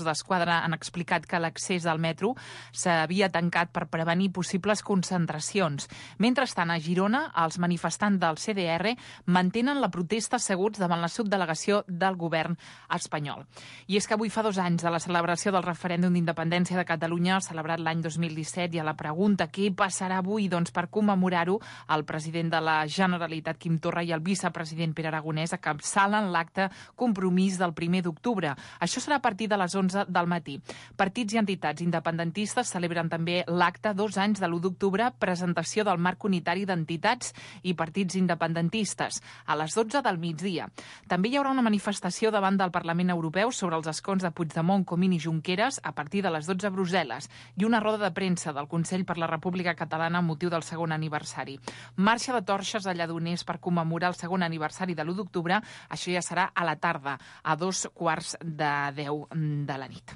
d'Esquadra han explicat que l'accés al metro s'havia tancat per prevenir possibles concentracions. Mentrestant, a Girona, els manifestants del CDR mantenen la protesta asseguts davant la subdelegació del govern espanyol. I és que avui fa 2 anys de la celebració del referèndum d'independència de Catalunya, celebrat l'any 2017, i a la pregunta què passarà avui, doncs per commemorar-ho, el president de la Generalitat, Quim Torra, i el vicepresident Pere Aragonès encapçalen l'acte Compromís del 1 d'octubre. Això serà a partir de les 11 del matí. Partits i entitats independentistes celebren també l'acte 2 anys de l'1 d'octubre, presentació del marc unitari d'entitats i partits independentistes, a les 12 del migdia. També hi haurà una manifestació davant del Parlament Europeu sobre els escons de Puigdemont, Comín i Junqueras a partir de les 12 a Brussel·les i una roda de premsa del Consell per la República Catalana amb motiu del segon aniversari. Marxa de torxes a Lledoners per commemorar el segon aniversari de l'1 d'octubre. Això ja serà a la tarda, a 9:45 de la nit.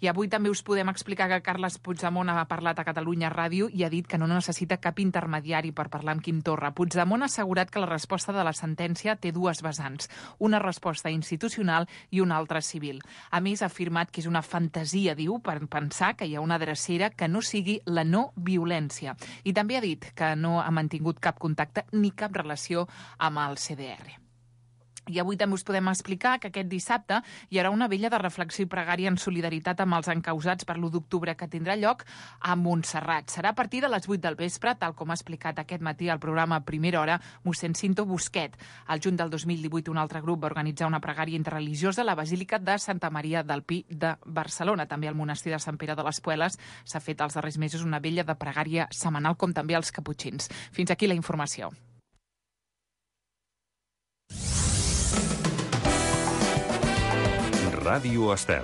I avui també us podem explicar que Carles Puigdemont ha parlat a Catalunya Ràdio i ha dit que no necessita cap intermediari per parlar amb Quim Torra. Puigdemont ha assegurat que la resposta de la sentència té 2 vessants, una resposta institucional i una altra civil. A més, ha afirmat que és una fantasia, diu, per pensar que hi ha una drecera que no sigui la no violència. I també ha dit que no ha mantingut cap contacte ni cap relació amb el CDR. I avui també us podem explicar que aquest dissabte hi haurà una vella de reflexió i pregària en solidaritat amb els encausats per l'1 d'octubre que tindrà lloc a Montserrat. Serà a partir de les 8 del vespre, tal com ha explicat aquest matí al programa Primera Hora mossèn Cinto Busquet. Al juny del 2018 un altre grup va organitzar una pregària interreligiosa a la Basílica de Santa Maria del Pi de Barcelona. També al monestir de Sant Pere de les Pueles s'ha fet els darrers mesos una vella de pregària setmanal, com també als caputxins. Fins aquí la informació. Ràdio Estel.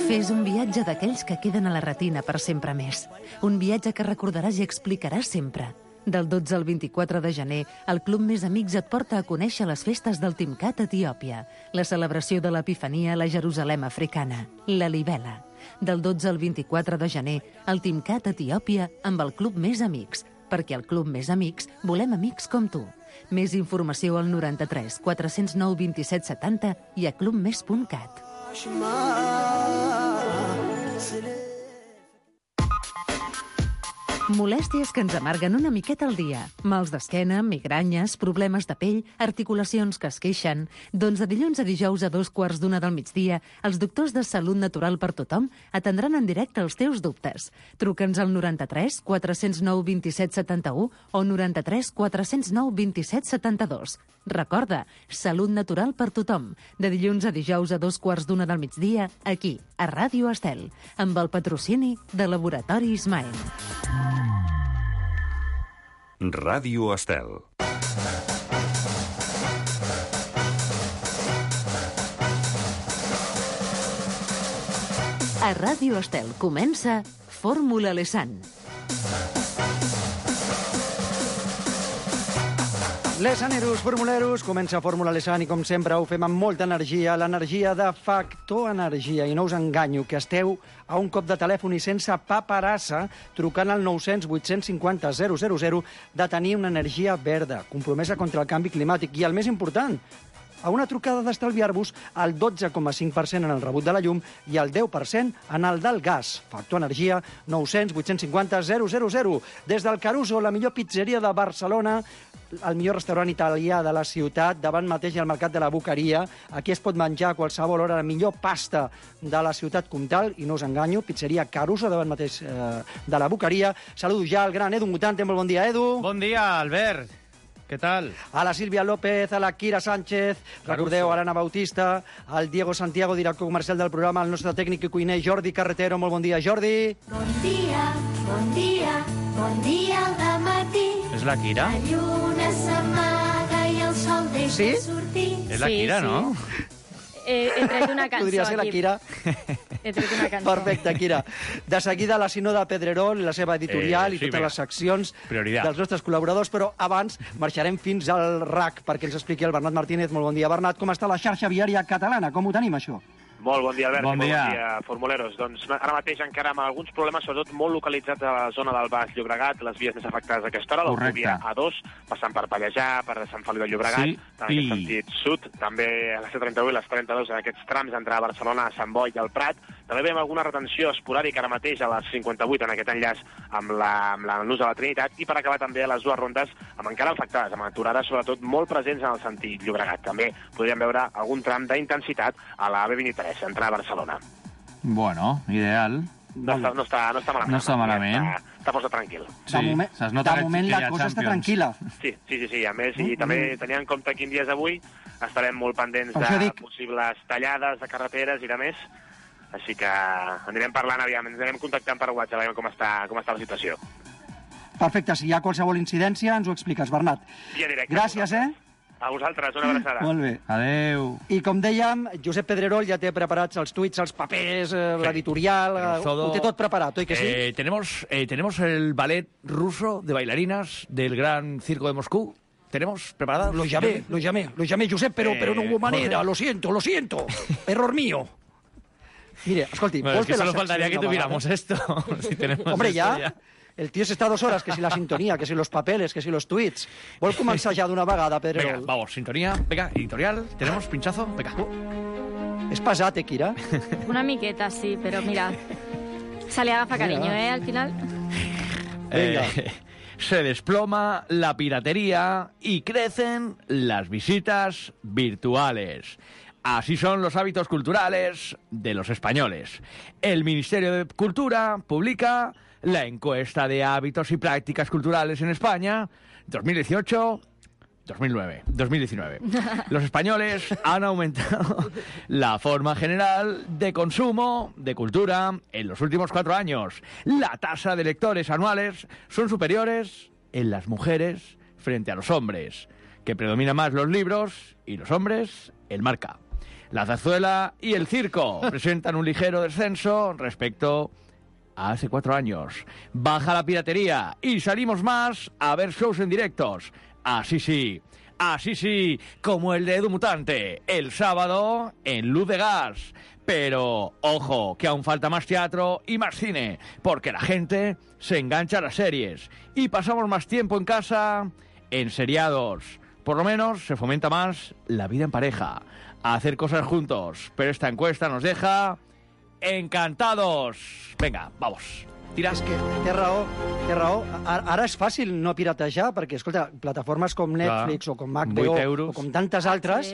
Fes un viatge d'aquells que queden a la retina per sempre més. Un viatge que recordaràs i explicaràs sempre. Del 12 al 24 de gener, el Club Més Amics et porta a conèixer les festes del Timcat a Etiòpia, la celebració de l'Epifania a la Jerusalem africana, la Libela. Del 12 al 24 de gener, el Timcat a Etiòpia amb el Club Més Amics, perquè al Club Més Amics volem amics com tu. Més informació al 93 409 27 70 i a clubmes.cat. Molèsties que ens amarguen una miqueta al dia. Mals d'esquena, migranyes, problemes de pell, articulacions que es queixen. Doncs de dilluns a dijous a 2:15 del migdia, els doctors de Salut Natural per Tothom atendran en directe els teus dubtes. Truca'ns al 93 409 27 71 o 93 409 27 72. Recorda, Salut Natural per Tothom. De dilluns a dijous a 2:15 del migdia, aquí, a Ràdio Estel, amb el patrocini de Laboratori Ismael. Ràdio Estel. A Ràdio Estel comença Fórmula Lesan. Lesaneros, formuleros, comença Fórmula Lesan i com sempre ho fem amb molta energia, l'energia de Factor Energia. I no us enganyo, que esteu a un cop de telèfon i sense paperassa, trucant al 900 850 000, de tenir una energia verda, compromesa contra el canvi climàtic. I el més important, a una trucada d'estalviar-vos el 12,5% en el rebut de la llum i el 10% en el del gas. Factor Energia, 900 850 000. Des del Caruso, la millor pizzeria de Barcelona, el millor restaurant italià de la ciutat, davant mateix al Mercat de la Boqueria. Aquí es pot menjar a qualsevol hora la millor pasta de la ciutat comtal, i no us enganyo, pizzeria Caruso, davant mateix de la Boqueria. Saludo ja al gran Edu Mutante. Molt bon dia, Edu. Bon dia, Albert. Què tal? A la Sílvia López, a la Kira Sánchez, recordeu, a l'Anna Bautista, al Diego Santiago, director comercial del programa, el nostre tècnic i cuiner Jordi Carretero. Molt bon dia, Jordi. Bon dia, bon dia, bon dia al dematí. És la Kira? La lluna s'amaga i el sol deixa sortir. És la Kira, no? He tret una cançó Podria ser la aquí. Kira. He tret una cançó. Perfecte, Kira. De seguida, la Sinó de Pedrerol, la seva editorial i sí, totes vinga. les seccions Prioritat. dels nostres col·laboradors, però abans marxarem fins al RAC perquè ens expliqui el Bernat Martínez. Molt bon dia, Bernat. Com està la xarxa viària catalana? Com ho tenim, això? Molt bon dia, Albert. Bon dia. Bon dia, formuleros. Doncs ara mateix encara amb alguns problemes, sobretot molt localitzats a la zona del Baix Llobregat, les vies més afectades a aquesta hora, l'autovia A2, passant per Pallejà, per Sant Feliu de Llobregat, en aquest sentit sud, també a la C31 i les 32 en aquests trams d'entrar a Barcelona, a Sant Boi i al Prat. També veiem alguna retenció esporàdica ara mateix a les 58 en aquest enllaç amb l'ús de la Trinitat, i per acabar també a les dues rondes amb encara afectades, amb aturades sobretot molt presents en el sentit Llobregat. També podríem veure algun tram d'intensitat a la B23, entrar a Barcelona. Bueno, ideal. No està malament. No està malament. Està força tranquil. Sí, de moment la cosa està tranquil·la. Sí. A més, i també tenint en compte quin dia és avui, estarem molt pendents de possibles tallades de carreteres i de més. Així que anirem parlant, aviam, ens anirem contactant per WhatsApp, aviam com està la situació. Perfecte, si hi ha qualsevol incidència ens ho expliques, Bernat. Gràcies, A vosaltres, una abraçada. Molt bé. Adeu. I com dèiem, Josep Pedrerol ja té preparats els tuits, els papers, l'editorial, ho té tot preparat, oi que sí? Tenemos el ballet ruso de bailarinas del Gran Circo de Moscú. ¿Tenemos preparadas? Lo llamé, Josep, pero no hubo manera, lo siento, error mío. Mire, escolti, bueno, es que solo faltaría que tuviéramos esto. Si tenemos hombre, esto ya. El tío s'està 2 hores, que si la sintonía, que si los papeles, que si los tuits. Vol començar ja d'una vegada, Pedrerol? Venga, vamos, sintonía. Venga, editorial. ¿Tenemos pinchazo? Venga. És pesat, Kira? Una miqueta, sí, pero mira, se le agafa cariño, al final. Venga. Se desploma la piratería y crecen las visitas virtuales. Así son los hábitos culturales de los españoles. El Ministerio de Cultura publica la encuesta de hábitos y prácticas culturales en España 2018-2019. Los españoles han aumentado la forma general de consumo de cultura en los últimos 4 años. La tasa de lectores anuales son superiores en las mujeres frente a los hombres, que predominan más los libros y los hombres el marca. La zarzuela y el circo presentan un ligero descenso respecto a hace 4 años. Baja la piratería y salimos más a ver shows en directos. Así sí, como el de Edu Mutante, el sábado en Luz de Gas. Pero, ojo, que aún falta más teatro y más cine, porque la gente se engancha a las series y pasamos más tiempo en casa enseriados. Por lo menos se fomenta más la vida en pareja, a hacer cosas juntos. Pero esta encuesta nos deja encantados. Venga, vamos. Tira. És que té raó. Ara és fàcil no piratejar, perquè, escolta, plataformes com Netflix o com HBO o com tantes altres,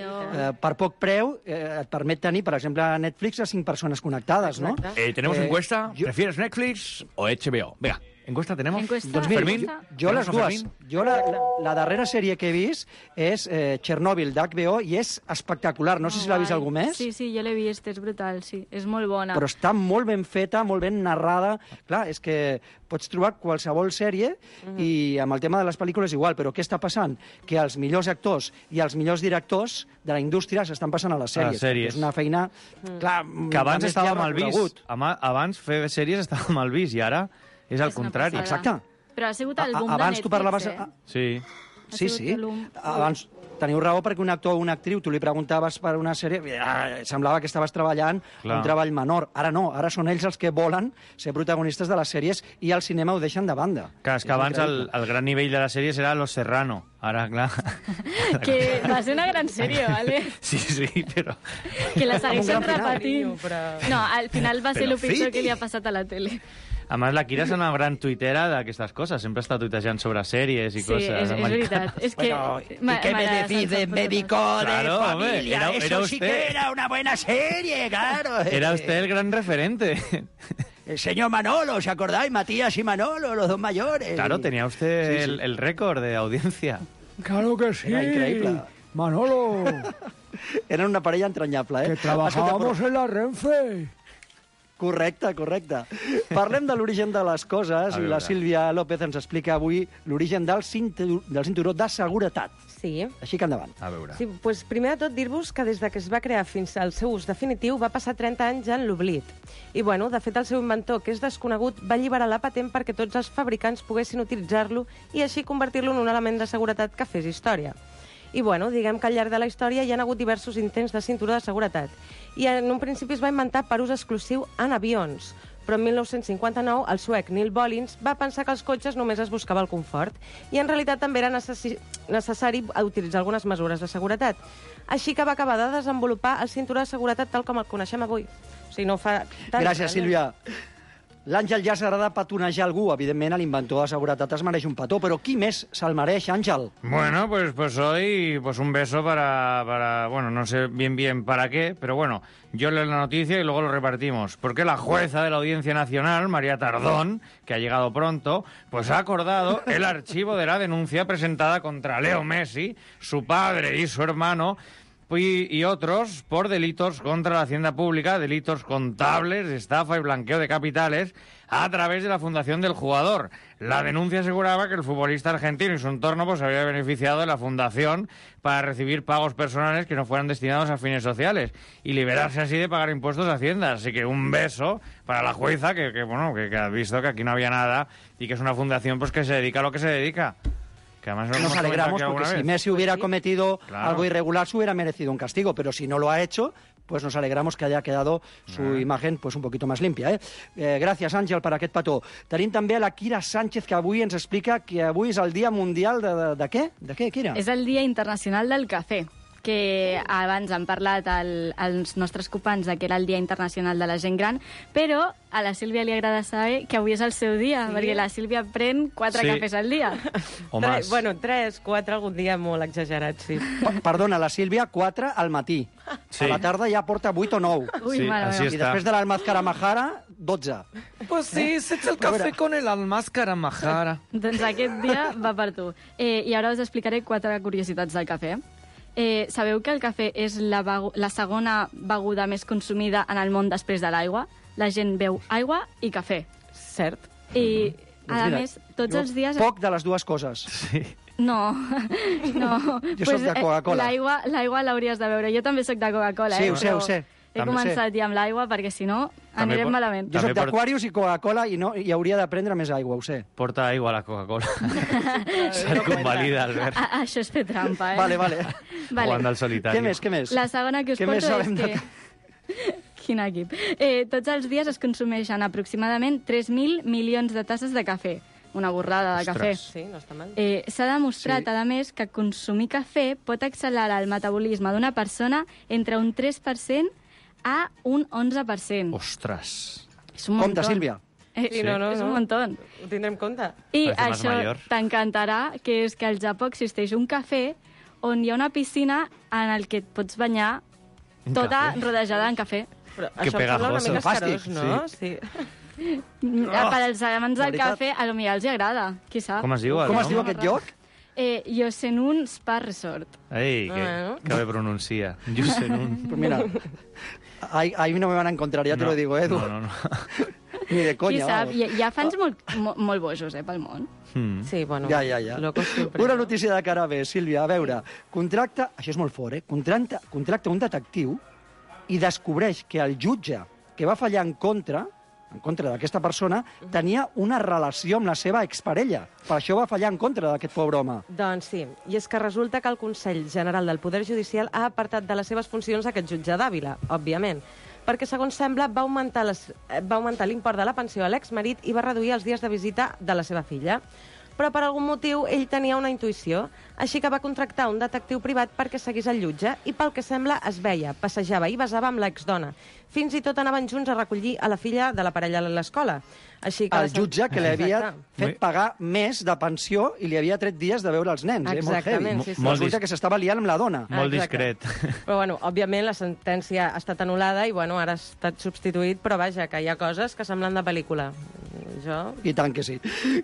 per poc preu, et permet tenir, per exemple, a Netflix a 5 persones connectades, no? Tenemos encuesta. ¿Prefieres Netflix o HBO? Venga. ¿Encuesta tenemos? Doncs mira, jo les dues. Jo la darrera sèrie que he vist és Chernobyl d'HBO i és espectacular. No sé si l'ha vist algú més. Sí, jo l'he vist, és brutal, sí. És molt bona. Però està molt ben feta, molt ben narrada. Clar, és que pots trobar qualsevol sèrie i amb el tema de les pel·lícules igual, però què està passant? Que els millors actors i els millors directors de la indústria s'estan passant a les sèries. És una feina... Clar, que abans estava mal vist. Abans fer sèries estava mal vist i ara és al contrari. Exacte. Però ha sigut el boom de Netflix, tu parlaves... Sí. Abans teniu raó perquè un actor o una actriu, tu li preguntaves per una sèrie, semblava que estaves treballant un treball menor. Ara no, ara són ells els que volen ser protagonistes de les sèries i el cinema ho deixen de banda. Clar, és que abans el gran nivell de les sèries era Los Serrano. Ara, clar... Que va ser una gran sèrie, ¿vale? Sí, però... Que la segueixen repetint. No, al final va ser el pitjor que li ha passat a la tele. A més, la Kira és una gran tuitera d'aquestes coses. Sempre està tuitejant sobre sèries i coses. Sí, és veritat. És que... ¿Y qué me decís de médico de familia? Eso sí que era una buena serie, claro. Era usted el gran referente. El señor Manolo, ¿os acordáis? Matías y Manolo, los dos mayores. Claro, tenía usted el récord de audiencia. Claro que sí. Era increíble. Manolo. Era una parella entrañable, Que trabajábamos en la Renfe. Correcte. Parlem de l'origen de les coses i la Sílvia López ens explica avui l'origen del cinturó de seguretat. Sí. Així que endavant. A veure. Sí, doncs primer de tot dir-vos que des de que es va crear fins al seu ús definitiu va passar 30 anys en l'oblit. I, bueno, de fet, el seu inventor, que és desconegut, va alliberar la patent perquè tots els fabricants poguessin utilitzar-lo i així convertir-lo en un element de seguretat que fes història. I, bueno, diguem que al llarg de la història hi ha hagut diversos intents de cinturó de seguretat. I en un principi es va inventar per ús exclusiu en avions, però en 1959 el suec Neil Bollins va pensar que els cotxes només es buscava el confort i en realitat també era necessari utilitzar algunes mesures de seguretat. Així que va acabar de desenvolupar el cinturó de seguretat tal com el coneixem avui. O sigui, no fa tant... Gràcies, Sílvia. L'Àngel ja s'agrada petonejar algú. Evidentment, l'inventor de seguretat es mereix un petó, però qui més se'l mereix, Àngel? Bueno, pues hoy un beso para... Bueno, no sé bien para qué, pero bueno, yo leo la noticia y luego lo repartimos. Porque la jueza de la Audiencia Nacional, María Tardón, que ha llegado pronto, pues ha acordado el archivo de la denuncia presentada contra Leo Messi, su padre y su hermano, y otros por delitos contra la hacienda pública, delitos contables, estafa y blanqueo de capitales a través de la fundación del jugador. La denuncia aseguraba que el futbolista argentino y su entorno pues había beneficiado de la fundación para recibir pagos personales que no fueran destinados a fines sociales y liberarse así de pagar impuestos a Hacienda. Así que un beso para la jueza que ha visto que aquí no había nada y que es una fundación pues que se dedica a lo que se dedica. Que además nos alegramos porque si Messi hubiera cometido algo irregular se hubiera merecido un castigo, pero si no lo ha hecho, pues nos alegramos que haya quedado su imagen pues un poquito más limpia. Gràcies, Àngel, per aquest petó. Tenim també a la Kira Sánchez, que avui ens explica que avui és el Dia Mundial de què? De què, Kira? És el Dia Internacional del Cafè, que abans han parlat els nostres companys que era el Dia Internacional de la Gent Gran, però a la Sílvia li agrada saber que avui és el seu dia, perquè la Sílvia pren 4 cafès al dia. O més. Bueno, 3, 4, algun dia molt exagerat, sí. Perdona, la Sílvia 4 al matí. Sí. A la tarda ja porta 8 o 9. Ui, Sí, mare així meva. I després de l'Almazcara Majara, 12. Pues sí, se echa el café con el Almazcara Majara. Doncs aquest dia va per tu. I ara us explicaré 4 curiositats del cafè. Sabeu que el cafè és la segona beguda més consumida en el món després de l'aigua? La gent beu aigua i cafè. Cert. I, a mira, més, tots els dies... Poc de les dues coses. Sí. No, no. Jo soc de Coca-Cola. L'aigua l'hauries de beure. Jo també soc de Coca-Cola, Sí, ho sé, ho sé. He començat ja amb l'aigua perquè, si no, anirem malament. Jo soc També d'Aquarius i Coca-Cola i hauria de prendre més aigua, ho sé. Porta aigua a la Coca-Cola. Se convalida, Albert. Això és fer trampa, Vale. Jugant al solitari. Què més? La segona que us Què més porto és sabem que... Quin equip. Tots els dies es consumeixen aproximadament 3.000 milions de tasses de cafè. Una borrada de cafè. Sí, no està mal. S'ha demostrat, a més, que consumir cafè pot accelerar el metabolisme d'una persona entre un 3% a un 11%. Ostres. És un muntó. Compte, Sílvia. Sí, no. És un muntó. Ho tindrem en compte. I Parece más això mayor. t'encantarà, que és que al Japó existeix un cafè on hi ha una piscina en el que et pots banyar Un tota cafè? rodejada en cafè. Però Que això em sembla una pegajoso. mica escarós, Fàstic, no? Sí. Per als amants de del veritat. cafè, a lo millor els hi agrada, qui sap. Com es diu? Com es diu aquest lloc? Yosenun Spa Resort. Ei, que bé pronuncia. Yosenun. Pues mira, ahí no me van a encontrar, ya te lo digo, Edu. No. Ni de Qui conya. sap? vamos. Hi ha fans molt bojos, pel món. Sí, bueno. Ja. Locos siempre. Una notícia de cara bé, Sílvia. A veure, contracta... Això és molt fort, contracta un detectiu i descobreix que el jutge que va fallar en contra d'aquesta persona, tenia una relació amb la seva exparella. Per això va fallar en contra d'aquest pobre home. Doncs sí, i és que resulta que el Consell General del Poder Judicial ha apartat de les seves funcions aquest jutge d'Àvila, òbviament, perquè, segons sembla, va augmentar l'import de la pensió a l'exmarit i va reduir els dies de visita de la seva filla. Però per algun motiu ell tenia una intuïció, així que va contractar un detectiu privat perquè seguís el jutge i, pel que sembla, es veia, passejava i besava amb l'exdona. Fins i tot anaven junts a recollir a la filla de la parella a l'escola. Així que El jutge que li havia fet pagar més de pensió i li havia tret dies de veure els nens. Exactament, molt heavy. sí. Resulta que s'estava liant amb la dona. Molt Exacte. discret. Però, bueno, òbviament la sentència ha estat anul·lada i, bueno, ara ha estat substituït, però vaja, que hi ha coses que semblen de pel·lícula. I tant que sí.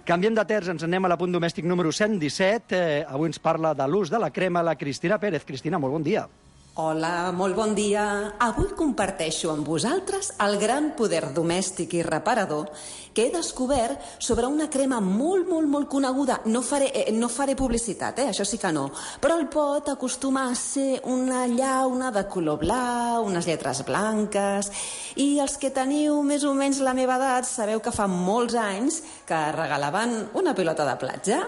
Canviem de terç, ens anem a l'apunt domèstic número 117. Avui ens parla de l'ús de la crema la Cristina Pérez. Cristina, molt bon dia. Hola, molt bon dia. Avui comparteixo amb vosaltres el gran poder domèstic i reparador que he descobert sobre una crema molt coneguda. No faré publicitat, això sí que no. Però el pot acostuma a ser una llauna de color blau, unes lletres blanques... I els que teniu més o menys la meva edat sabeu que fa molts anys que regalaven una pilota de platja.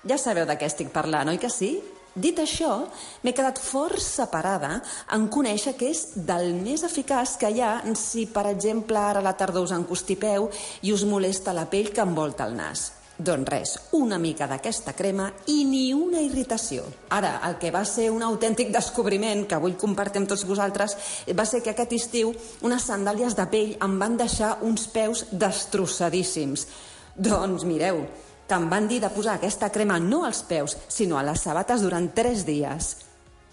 Ja sabeu de què estic parlant, oi que sí? Dit això, m'he quedat força parada en conèixer que és del més eficaç que hi ha si, per exemple, ara a la tardor us encostipeu i us molesta la pell que envolta el nas. Doncs res, una mica d'aquesta crema i ni una irritació. Ara, el que va ser un autèntic descobriment que vull compartir amb tots vosaltres va ser que aquest estiu unes sandàlies de pell em van deixar uns peus destrossadíssims. Doncs mireu, que em van dir de posar aquesta crema no als peus, sinó a les sabates durant 3 dies.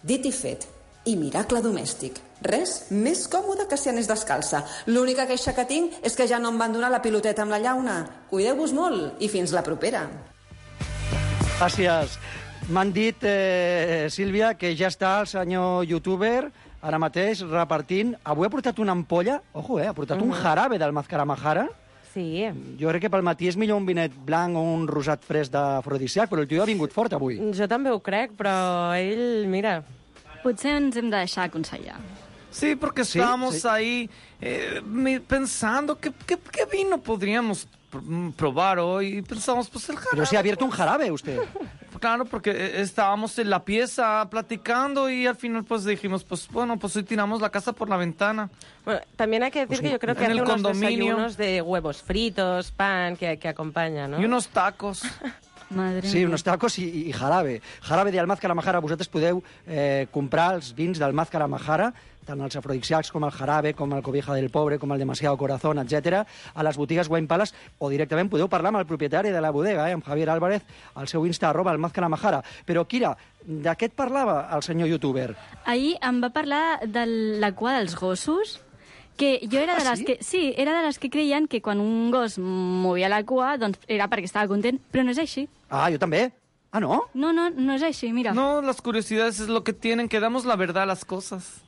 Dit i fet, i miracle domèstic. Res més còmode que si anés descalça. L'única queixa que tinc és que ja no em van donar la piloteta amb la llauna. Cuideu-vos molt i fins la propera. Gràcies. M'han dit, Sílvia, que ja està el senyor youtuber ara mateix repartint. Avui ha portat una ampolla, ojo, ha portat un jarabe del Mazcaramajara. Sí. Jo crec que pel matí és millor un vinet blanc o un rosat fresc d'afrodisíac, però el tio ha vingut fort avui. Jo també ho crec, però ell, mira... Potser ens hem de deixar aconsellar. Sí, porque estábamos ahí pensando qué vino podríamos probar hoy. Y pensamos, pues el jarabe. Pero se ha abierto un jarabe usted. Claro, porque estábamos en la pieza platicando y al final pues dijimos, pues bueno, pues hoy tiramos la casa por la ventana. Bueno, también hay que decir que yo creo que hay unos desayunos de huevos fritos, pan, que acompaña, ¿no? Y unos tacos. Madre sí, mía. unos tacos i jarabe. Jarabe del Mazcaramajara. Vosaltres podeu comprar els vins del Mazcaramajara, tant els afrodisíacs com el jarabe, com el cobija del pobre, com el demasiado corazón, etc. a les botigues Wine Palace, o directament podeu parlar amb el propietari de la bodega, amb Javier Álvarez, al seu Insta, @el_Mazcaramajara. Però, Kira, de què et parlava el senyor youtuber? Ahir em va parlar de la cua dels gossos, que jo era de les que... Sí, era de les que creien que quan un gos movia la cua, doncs era perquè estava content, però no és així. Ah, jo també. Ah, ¿no? No es així, mira. No, las curiosidades es lo que tienen, que damos la verdad a las cosas.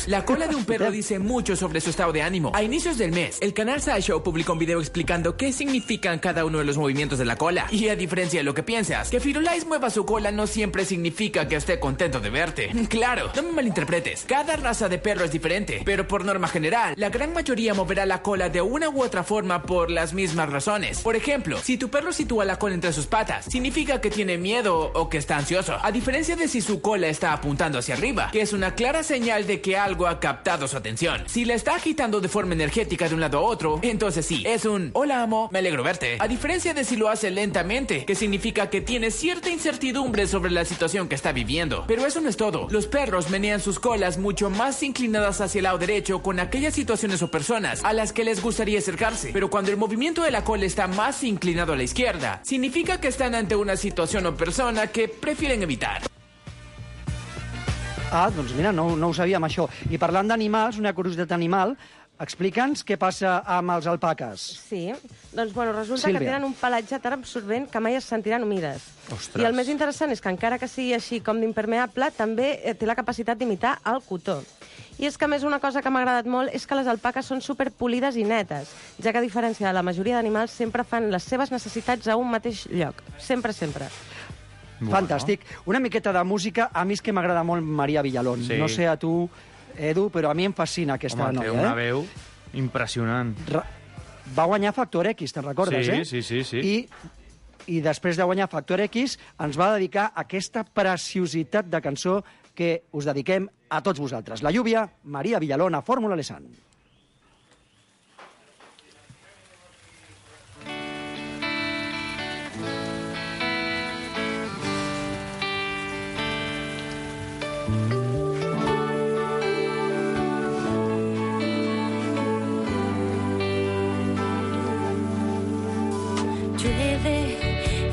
La cola de un perro dice mucho sobre su estado de ánimo. A inicios del mes, el canal SciShow publicó un video explicando qué significan cada uno de los movimientos de la cola. Y a diferencia de lo que piensas, que Firulais mueva su cola no siempre significa que esté contento de verte. Claro, no me malinterpretes. Cada raza de perro es diferente, pero por norma general, la gran mayoría moverá la cola de una u otra forma por las mismas razones. Por ejemplo, si tu perro sitúa la cola entre sus patas, significa que tiene miedo o que está ansioso. A diferencia de si su cola está apuntando hacia arriba, que es una clara señal de que algo ha captado su atención. Si la está agitando de forma energética de un lado a otro, entonces sí, es un hola amo, me alegro verte. A diferencia de si lo hace lentamente, que significa que tiene cierta incertidumbre sobre la situación que está viviendo. Pero eso no es todo. Los perros menean sus colas mucho más inclinadas hacia el lado derecho con aquellas situaciones o personas a las que les gustaría acercarse. Pero cuando el movimiento de la cola está más inclinado a la izquierda, significa que están ante una situación o persona que prefieren evitar. Ah, doncs mira, no ho sabíem, això. I parlant d'animals, una curiositat animal, explica'ns què passa amb els alpaques. Sí, doncs bueno, resulta Sílvia. que tenen un pelatge tan absorbent que mai es sentiran humides. Ostres. I el més interessant és que encara que sigui així com d'impermeable, també té la capacitat d'imitar el cotó. I és que, a més, una cosa que m'ha agradat molt és que les alpaques són superpolides i netes, ja que, a diferència de la majoria d'animals, sempre fan les seves necessitats a un mateix lloc. Sempre, sempre. Bueno. Fantàstic. Una miqueta de música. A mi és que m'agrada molt Maria Villalón. Sí. No sé a tu, Edu, però a mi em fascina aquesta noia. Home, té una veu impressionant. Va guanyar Factor X, te'n recordes, Sí. I després de guanyar Factor X ens va dedicar aquesta preciositat de cançó que us dediquem a tots vosaltres. La lluvia, Maria Villalón, a Fórmula Lesan. Llueve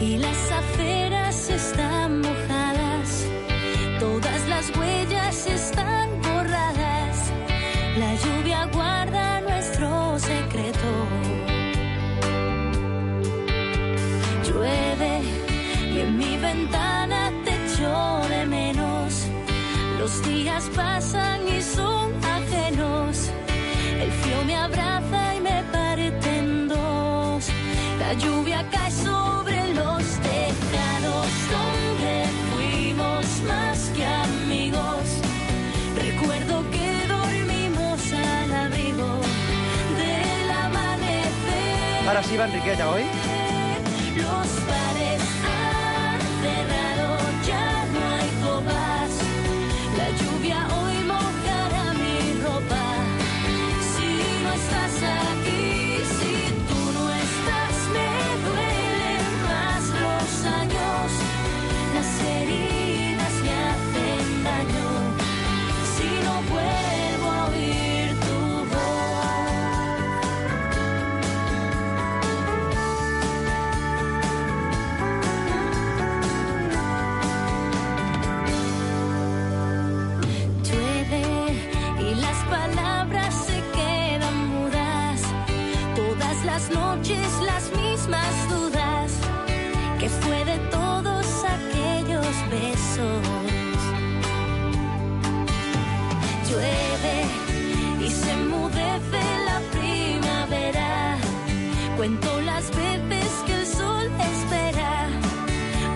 y las aceras están mojadas, todas las huellas están borradas, la lluvia guarda nuestro secreto. Llueve y en mi ventana te echo de menos, los días pasan y son ajenos, el frío me abraza y me parte en dos. La lluvia cae sobre los tejados donde fuimos más que amigos. Recuerdo que dormimos al abrigo del amanecer. Ara sí, Enriqueta, oi? Los bares han cerrado, ya no hay heridas me hacen daño si no vuelvo a oír tu voz. Llueve y las palabras se quedan mudas, todas las noches las mismas dudas. ¿Qué fue de todos aquellos besos? Llueve y se enmudece la primavera. Cuento las veces que el sol espera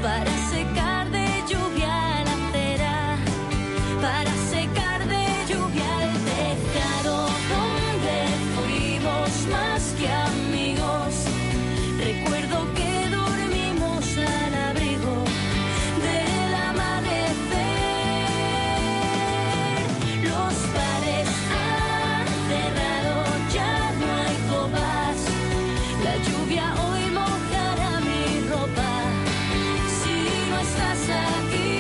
para secar de lluvia la acera, para secar de lluvia el tejado donde fuimos más que amigos. Recuerdo que al abrigo del amanecer. Los bares han cerrado, ya no hay copas. La lluvia hoy mojará mi ropa. Si no estás aquí,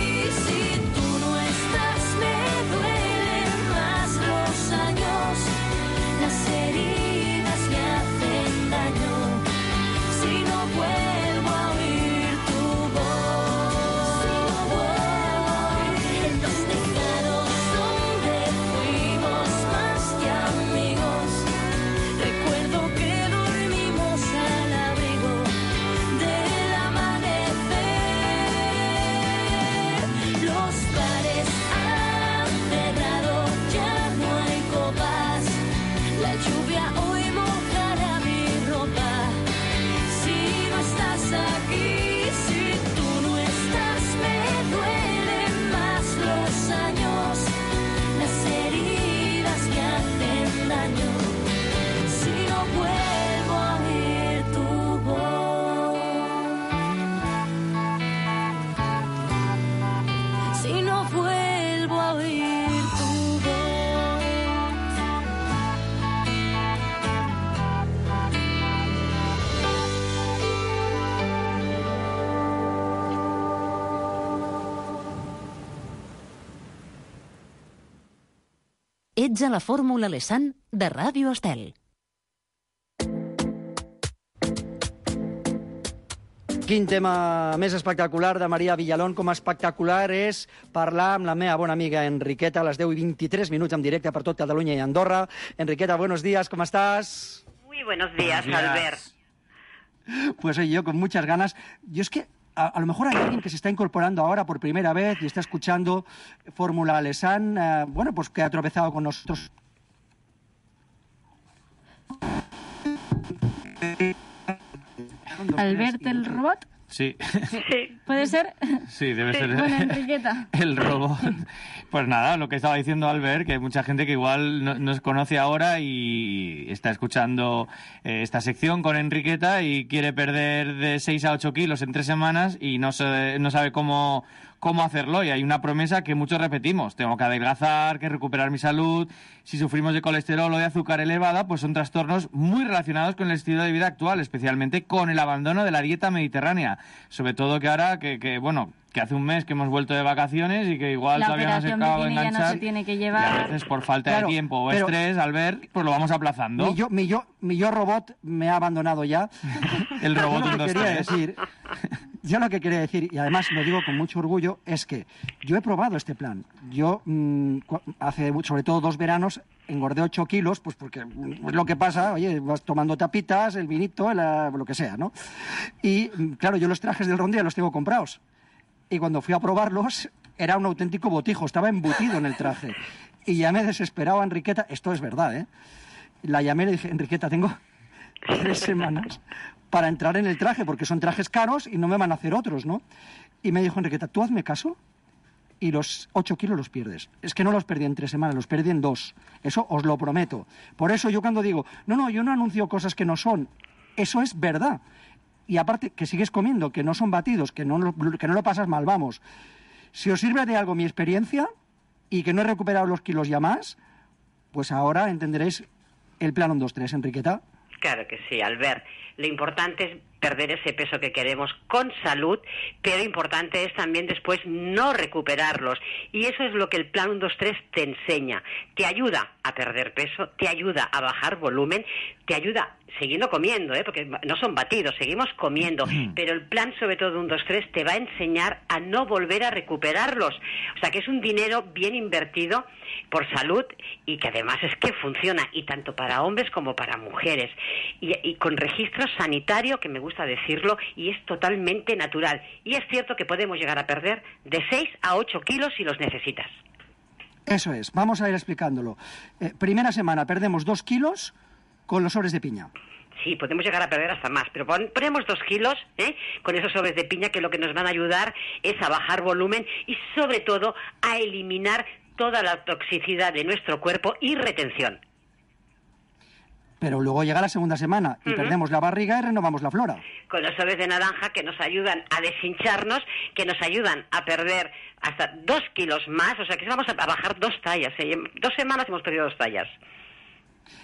si tú no estás, me duelen más los años. Las heridas me hacen daño si no vuelvo a oír tu voz. En los tejados donde fuimos más que amigos, recuerdo que dormimos al abrigo del amanecer. Los bares han cerrado, ya no hay copas. La lluvia hoy mojará mi ropa. Si no estás aquí, si tú no estás, me duelen más los años. Las heridas me hacen daño si no vuelvo a oír tu voz. Si no vuelvo a oír tu voz. Ets a la Fórmula Lesan de Ràdio Estel. Quin tema més espectacular de Maria Villalón, com espectacular és parlar amb la meva bona amiga Enriqueta a les 10:23 en directe per tot Catalunya i Andorra. Enriqueta, buenos días, ¿cómo estás? Muy buenos días, Albert. Pues yo con muchas ganas. Yo es que a lo mejor hay alguien que se está incorporando ahora por primera vez y está escuchando Fórmula Lesan, bueno, pues que ha tropezado con nosotros. ¿Albert el robot? Sí. ¿Puede ser? Sí, debe ser. Bueno, Enriqueta. El robot. Pues nada, lo que estaba diciendo Albert, que hay mucha gente que igual no nos conoce ahora y está escuchando esta sección con Enriqueta y quiere perder de 6 a 8 kilos en 3 semanas y no sabe cómo hacerlo, y hay una promesa que muchos repetimos: tengo que adelgazar, que recuperar mi salud. Si sufrimos de colesterol o de azúcar elevada, pues son trastornos muy relacionados con el estilo de vida actual, especialmente con el abandono de la dieta mediterránea. Sobre todo que ahora, que hace un mes que hemos vuelto de vacaciones y que igual todavía no se acaba de enganchar. Ya no se tiene que llevar. Y a veces por falta de tiempo o estrés, Albert, pues lo vamos aplazando. Mi yo robot me ha abandonado ya. El robot yo lo que quería decir, yo lo que quería decir, y además lo digo con mucho orgullo, es que yo he probado este plan. Yo hace sobre todo 2 veranos engordé 8 kilos, pues porque es lo que pasa, oye, vas tomando tapitas, el vinito, lo que sea, ¿no? Y claro, yo los trajes del Rondia los tengo comprados. Y cuando fui a probarlos, era un auténtico botijo, estaba embutido en el traje. Y ya me desesperaba Enriqueta, esto es verdad, ¿eh? La llamé y le dije: Enriqueta, tengo 3 semanas para entrar en el traje, porque son trajes caros y no me van a hacer otros, ¿no? Y me dijo: Enriqueta, tú hazme caso y los 8 kilos los pierdes. Es que no los perdí en 3 semanas, los perdí en 2. Eso os lo prometo. Por eso yo cuando digo, no, yo no anuncio cosas que no son, eso es verdad. Y aparte, que sigues comiendo, que no son batidos, que no lo pasas mal, vamos. Si os sirve de algo mi experiencia y que no he recuperado los kilos ya más, pues ahora entenderéis el plan 1, 2, 3, Enriqueta. Claro que sí, Albert. Lo importante es perder ese peso que queremos con salud, pero importante es también después no recuperarlos. Y eso es lo que el Plan 1, 2, 3 te enseña. Te ayuda a perder peso, te ayuda a bajar volumen, te ayuda siguiendo comiendo, porque no son batidos, seguimos comiendo, pero el plan sobre todo 1, 2, 3 te va a enseñar a no volver a recuperarlos. O sea que es un dinero bien invertido por salud y que además es que funciona, y tanto para hombres como para mujeres, y con registro sanitario, que me gusta decirlo, y es totalmente natural. Y es cierto que podemos llegar a perder de 6 a 8 kilos si los necesitas. Eso es, vamos a ir explicándolo. Primera semana perdemos 2 kilos con los sobres de piña. Sí, podemos llegar a perder hasta más, pero ponemos 2 kilos con esos sobres de piña, que lo que nos van a ayudar es a bajar volumen y sobre todo a eliminar toda la toxicidad de nuestro cuerpo y retención. Pero luego llega la segunda semana y perdemos la barriga y renovamos la flora. Con los sobres de naranja, que nos ayudan a deshincharnos, que nos ayudan a perder hasta 2 kilos más, o sea que vamos a bajar 2 tallas. En 2 semanas hemos perdido 2 tallas.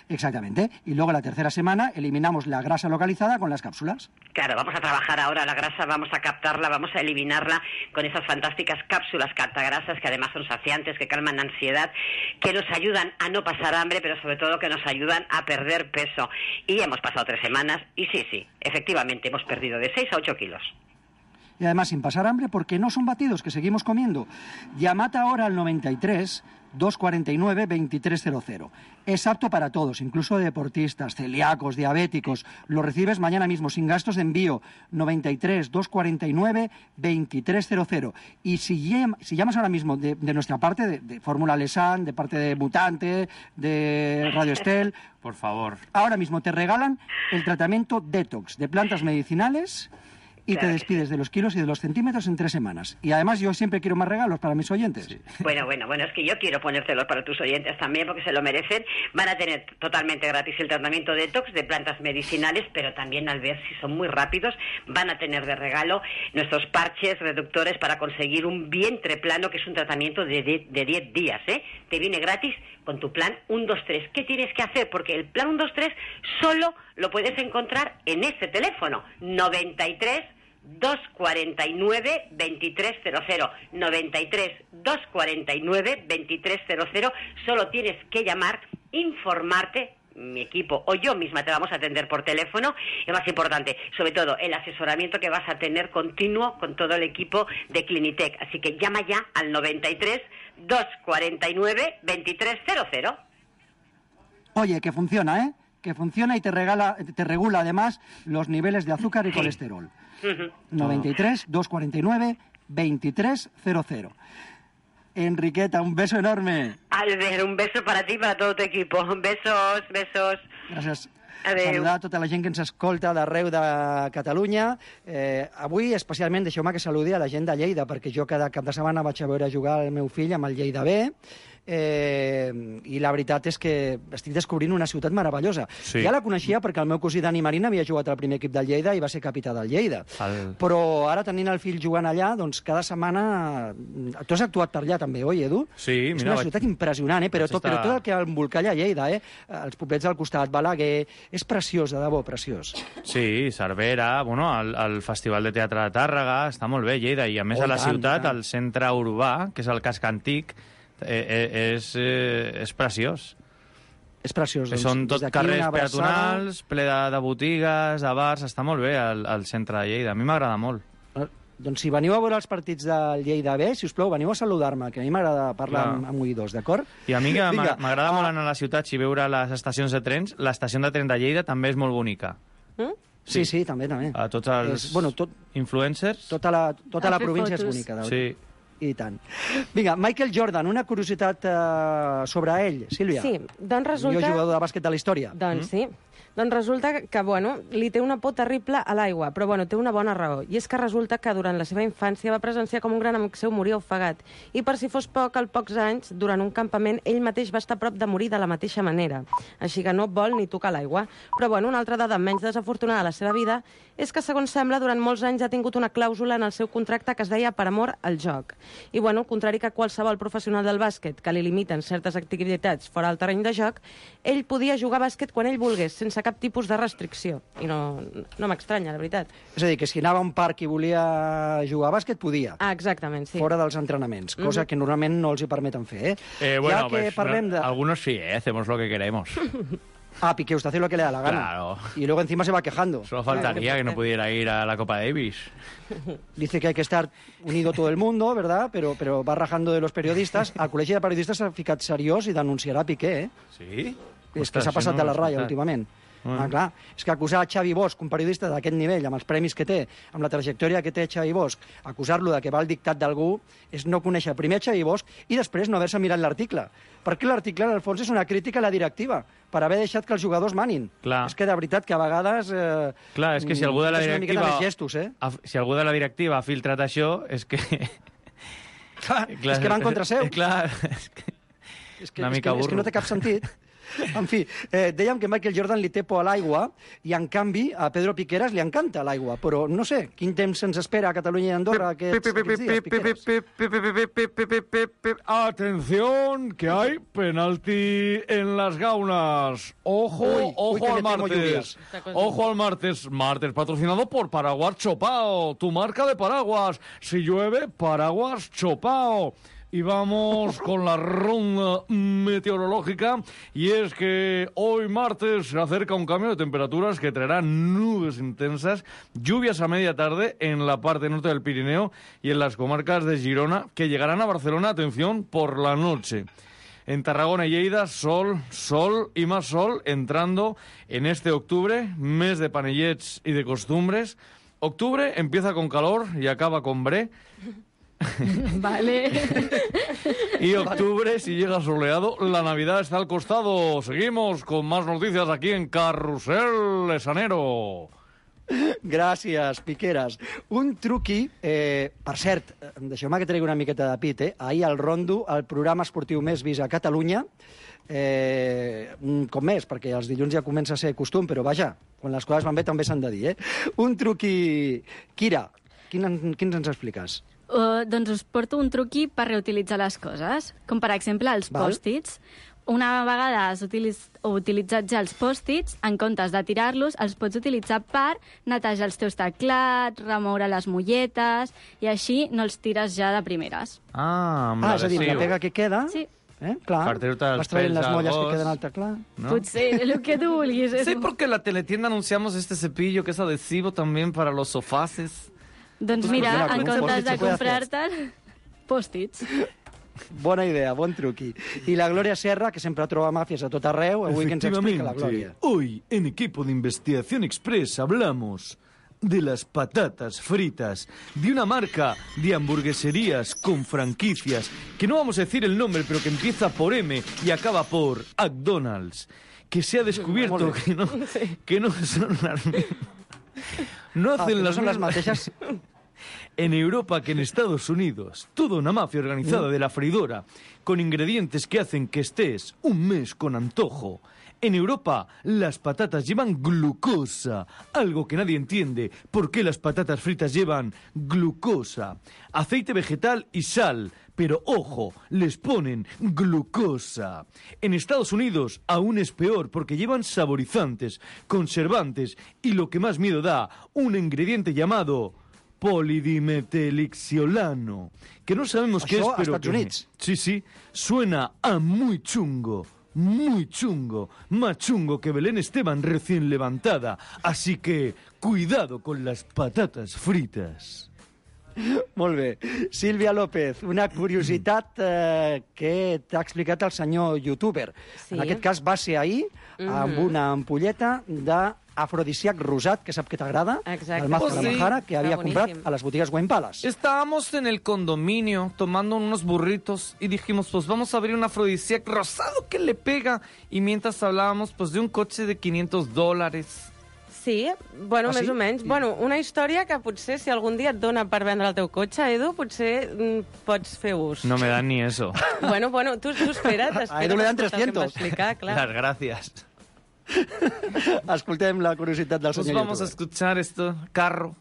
Exactamente. Y luego la tercera semana eliminamos la grasa localizada con las cápsulas. Claro, vamos a trabajar ahora la grasa, vamos a captarla, vamos a eliminarla con esas fantásticas cápsulas captagrasas, que además son saciantes, que calman la ansiedad, que nos ayudan a no pasar hambre, pero sobre todo que nos ayudan a perder peso. Y hemos pasado 3 semanas y sí, efectivamente hemos perdido de 6 a 8 kilos. Y además sin pasar hambre, porque no son batidos, que seguimos comiendo. Llamad ahora al 93 249 2300. Es apto para todos, incluso deportistas, celíacos, diabéticos. Lo recibes mañana mismo, sin gastos de envío. 93 249 2300. Y si llamas ahora mismo de nuestra parte, de Fórmula Lesan, de parte de Mutante, de Radio Estel, por favor, ahora mismo te regalan el tratamiento Detox de plantas medicinales. Y claro, te despides de los kilos y de los centímetros en 3 semanas. Y además yo siempre quiero más regalos para mis oyentes. Sí. Bueno, es que yo quiero ponérselos para tus oyentes también, porque se lo merecen. Van a tener totalmente gratis el tratamiento Detox de plantas medicinales, pero también, al ver si son muy rápidos, van a tener de regalo nuestros parches reductores para conseguir un vientre plano, que es un tratamiento de 10 días. Te viene gratis con tu plan 1, 2, 3. ¿Qué tienes que hacer? Porque el plan 1, 2, 3 solo lo puedes encontrar en este teléfono, 93 249 2300. 93 249 2300. Solo tienes que llamar, informarte. Mi equipo o yo misma te vamos a atender por teléfono. Es más importante, sobre todo, el asesoramiento que vas a tener continuo con todo el equipo de Clinitec. Así que llama ya al 93 249 2300. Oye, que funciona, que funciona y te regula además los niveles de azúcar y colesterol. 93 249 2300. Enriqueta, un beso enorme. Albert, un beso para ti i per a tot l'equip. Besos. Gràcies. Adéu. Saludar a tota la gent que ens escolta d'arreu de Catalunya. Avui, especialment, deixeu-me que saludi a la gent de Lleida, perquè jo cada cap de setmana vaig a veure jugar el meu fill amb el Lleida B, i la veritat és que estic descobrint una ciutat meravellosa. Sí. Ja la coneixia perquè el meu cosí Dani Marín havia jugat al primer equip del Lleida i va ser capità del Lleida. Però ara, tenint el fill jugant allà, doncs cada setmana... Tu has actuat per allà també, oi, Edu? Sí, mira... És una ciutat impressionant, però tot el que envolca allà a Lleida, els poblets al costat, Balaguer... És preciós, de debò, preciós. Sí, Cervera, bueno, el Festival de Teatre de Tàrrega, està molt bé, Lleida, i a més a la ciutat, el centre urbà, que és el casc antic, és preciós. És preciós. Són tot carrers peatonals, ple de botigues, de bars, està molt bé el centre de Lleida. A mi m'agrada molt. Doncs si veniu a veure els partits del Lleida B, si us plau, veniu a saludar-me, que a mi m'agrada parlar amb oïdors, d'acord? I a mi que m'agrada molt anar a les ciutats i veure les estacions de trens, l'estació de tren de Lleida també és molt bonica. Sí, també. A tots els influencers. Tota la província és bonica. Sí. I tant. Vinga, Michael Jordan, una curiositat sobre ell, Sílvia. Sí, doncs resulta... Millor jugador de bàsquet de la història. Doncs sí. Doncs resulta que, li té una por terrible a l'aigua, però, té una bona raó. I és que resulta que durant la seva infància va presenciar com un gran amic seu moria ofegat. I per si fos poc, als pocs anys, durant un campament, ell mateix va estar a prop de morir de la mateixa manera. Així que no vol ni tocar l'aigua. Però, una altra dada menys desafortunada de la seva vida és que, segons sembla, durant molts anys ha tingut una clàusula en el seu contracte que es deia per amor al joc. I, bueno, al contrari que qualsevol professional del bàsquet que li limiten certes activitats fora del terreny de joc, ell podia jugar a bàsquet quan ell volgués, sense cap tipus de restricció. I no m'estranya, la veritat. És a dir, que si anava a un parc i volia jugar a bàsquet, podia. Ah, exactament, sí. Fora dels entrenaments, cosa que normalment no els hi permeten fer, Bueno, ja que parlem de... algunos sí, hacemos lo que queremos. Ah, Piqué, usted hace lo que le da la gana. Claro. Y luego encima se va quejando. Solo faltaría que no pudiera ir a la Copa Davis. Dice que hay que estar unido todo el mundo, ¿verdad? Pero va rajando de los periodistas. Al Col·legi de Periodistes s'ha ficat seriós i denunciarà Piqué, Sí? És que s'ha passat de la ratlla últimament. Ah, clar. És que acusar Xavi Bosch, un periodista d'aquest nivell, amb els premis que té, amb la trajectòria que té Xavi Bosch, acusar-lo de que va al dictat d'algú és no conèixer primer Xavi Bosch i després no haver-se mirat l'article. Perquè l'article, en el fons, és una crítica a la directiva, per haver deixat que els jugadors manin. Clar. És que, de veritat, que a vegades... Clar, és que si algú de la directiva... Gestos, Si algú de la directiva ha filtrat això, és que... Clar, és que van contra seu. Clar, és que no té cap sentit. En fi, dèiem que Michael Jordan li té por a l'aigua i, en canvi, a Pedro Piqueras li encanta l'aigua. Però no sé, quin temps se'ns espera a Catalunya i Andorra aquests dies, Piqueras? Atención, que hay penalti en las gaunas. Ojo al martes. Ojo al martes. Martes patrocinado por Paraguas Chopao, tu marca de paraguas. Si llueve, Paraguas Chopao. Y vamos con la ronda meteorológica, y es que hoy martes se acerca un cambio de temperaturas que traerá nubes intensas, lluvias a media tarde en la parte norte del Pirineo y en las comarcas de Girona, que llegarán a Barcelona, atención, por la noche. En Tarragona y Lleida, sol y más sol, entrando en este octubre, mes de panellets y de costumbres. Octubre empieza con calor y acaba con bre. Vale. Y octubre, si llega soleado, la Navidad está al costado. Seguimos con más noticias aquí en Carrusel Lesanero. Gràcies, Piqueras. Un truqui, per cert, deixeu-me que tregui una miqueta de pit, ahir al Rondo, el programa esportiu més vist a Catalunya, un cop més, perquè els dilluns ja comença a ser costum, però vaja, quan les coses van bé també s'han de dir, Un truqui... Kira, quins ens expliques? Doncs us porto un truqui per reutilitzar les coses, com per exemple els pòstits. Una vegada has utilitzat ja els pòstits, en comptes de tirar-los, els pots utilitzar per netejar els teus teclats, remoure les molletes, i així no els tires ja de primeres. És a dir, la pega que queda... Sí. Clar, vas traient les molles que queden al teclat. Potser, el que tu vulguis. Sí, porque en la teletienda anunciamos este cepillo que es adhesivo también para los sofaces. Doncs mira, en comptes de comprar-te'l, pòstits. Bona idea, bon truqui. I la Glòria Serra, que sempre troba màfies a tot arreu, avui que ens explica la Glòria. Hoy, en Equipo de Investigación Express, hablamos de las patatas fritas, de una marca de hamburgueserías con franquicias, que no vamos a decir el nombre, pero que empieza por M y acaba por McDonald's, que se ha descubierto que no son las mismas. No hacen las mateixes. En Europa que en Estados Unidos, toda una mafia organizada de la freidora, con ingredientes que hacen que estés un mes con antojo. En Europa, las patatas llevan glucosa, algo que nadie entiende. ¿Por qué las patatas fritas llevan glucosa? Aceite vegetal y sal, pero ojo, les ponen glucosa. En Estados Unidos aún es peor porque llevan saborizantes, conservantes y lo que más miedo da, un ingrediente llamado polidimetelixiolano, que no sabemos qué es, pero que... Sí, suena a muy chungo. Muy chungo, más chungo que Belén Esteban recién levantada. Así que, cuidado con las patatas fritas. Molt bé. Sílvia López, una curiositat que t'ha explicat el senyor youtuber. Sí. En aquest cas va ser ahir amb una ampolleta d'afrodisíac rosat, que sap que t'agrada, el Mazo de la Majara, que havia comprat a les botigues Wine Palace. Estábamos en el condominio tomando unos burritos y dijimos, pues vamos a abrir un afrodisíac rosado que le pega. Y mientras hablábamos, pues de un coche de $500. Sí, bueno, més o menys. Bueno, una història que potser si algun dia et dona per vendre el teu cotxe, Edu, potser pots fer ús. No me dan ni eso. Bueno, tú espera't. A Edu le dan 300. Explicar, clar. Las gracias. Escoltem la curiositat del senyor Pues vamos a escuchar esto. Carro.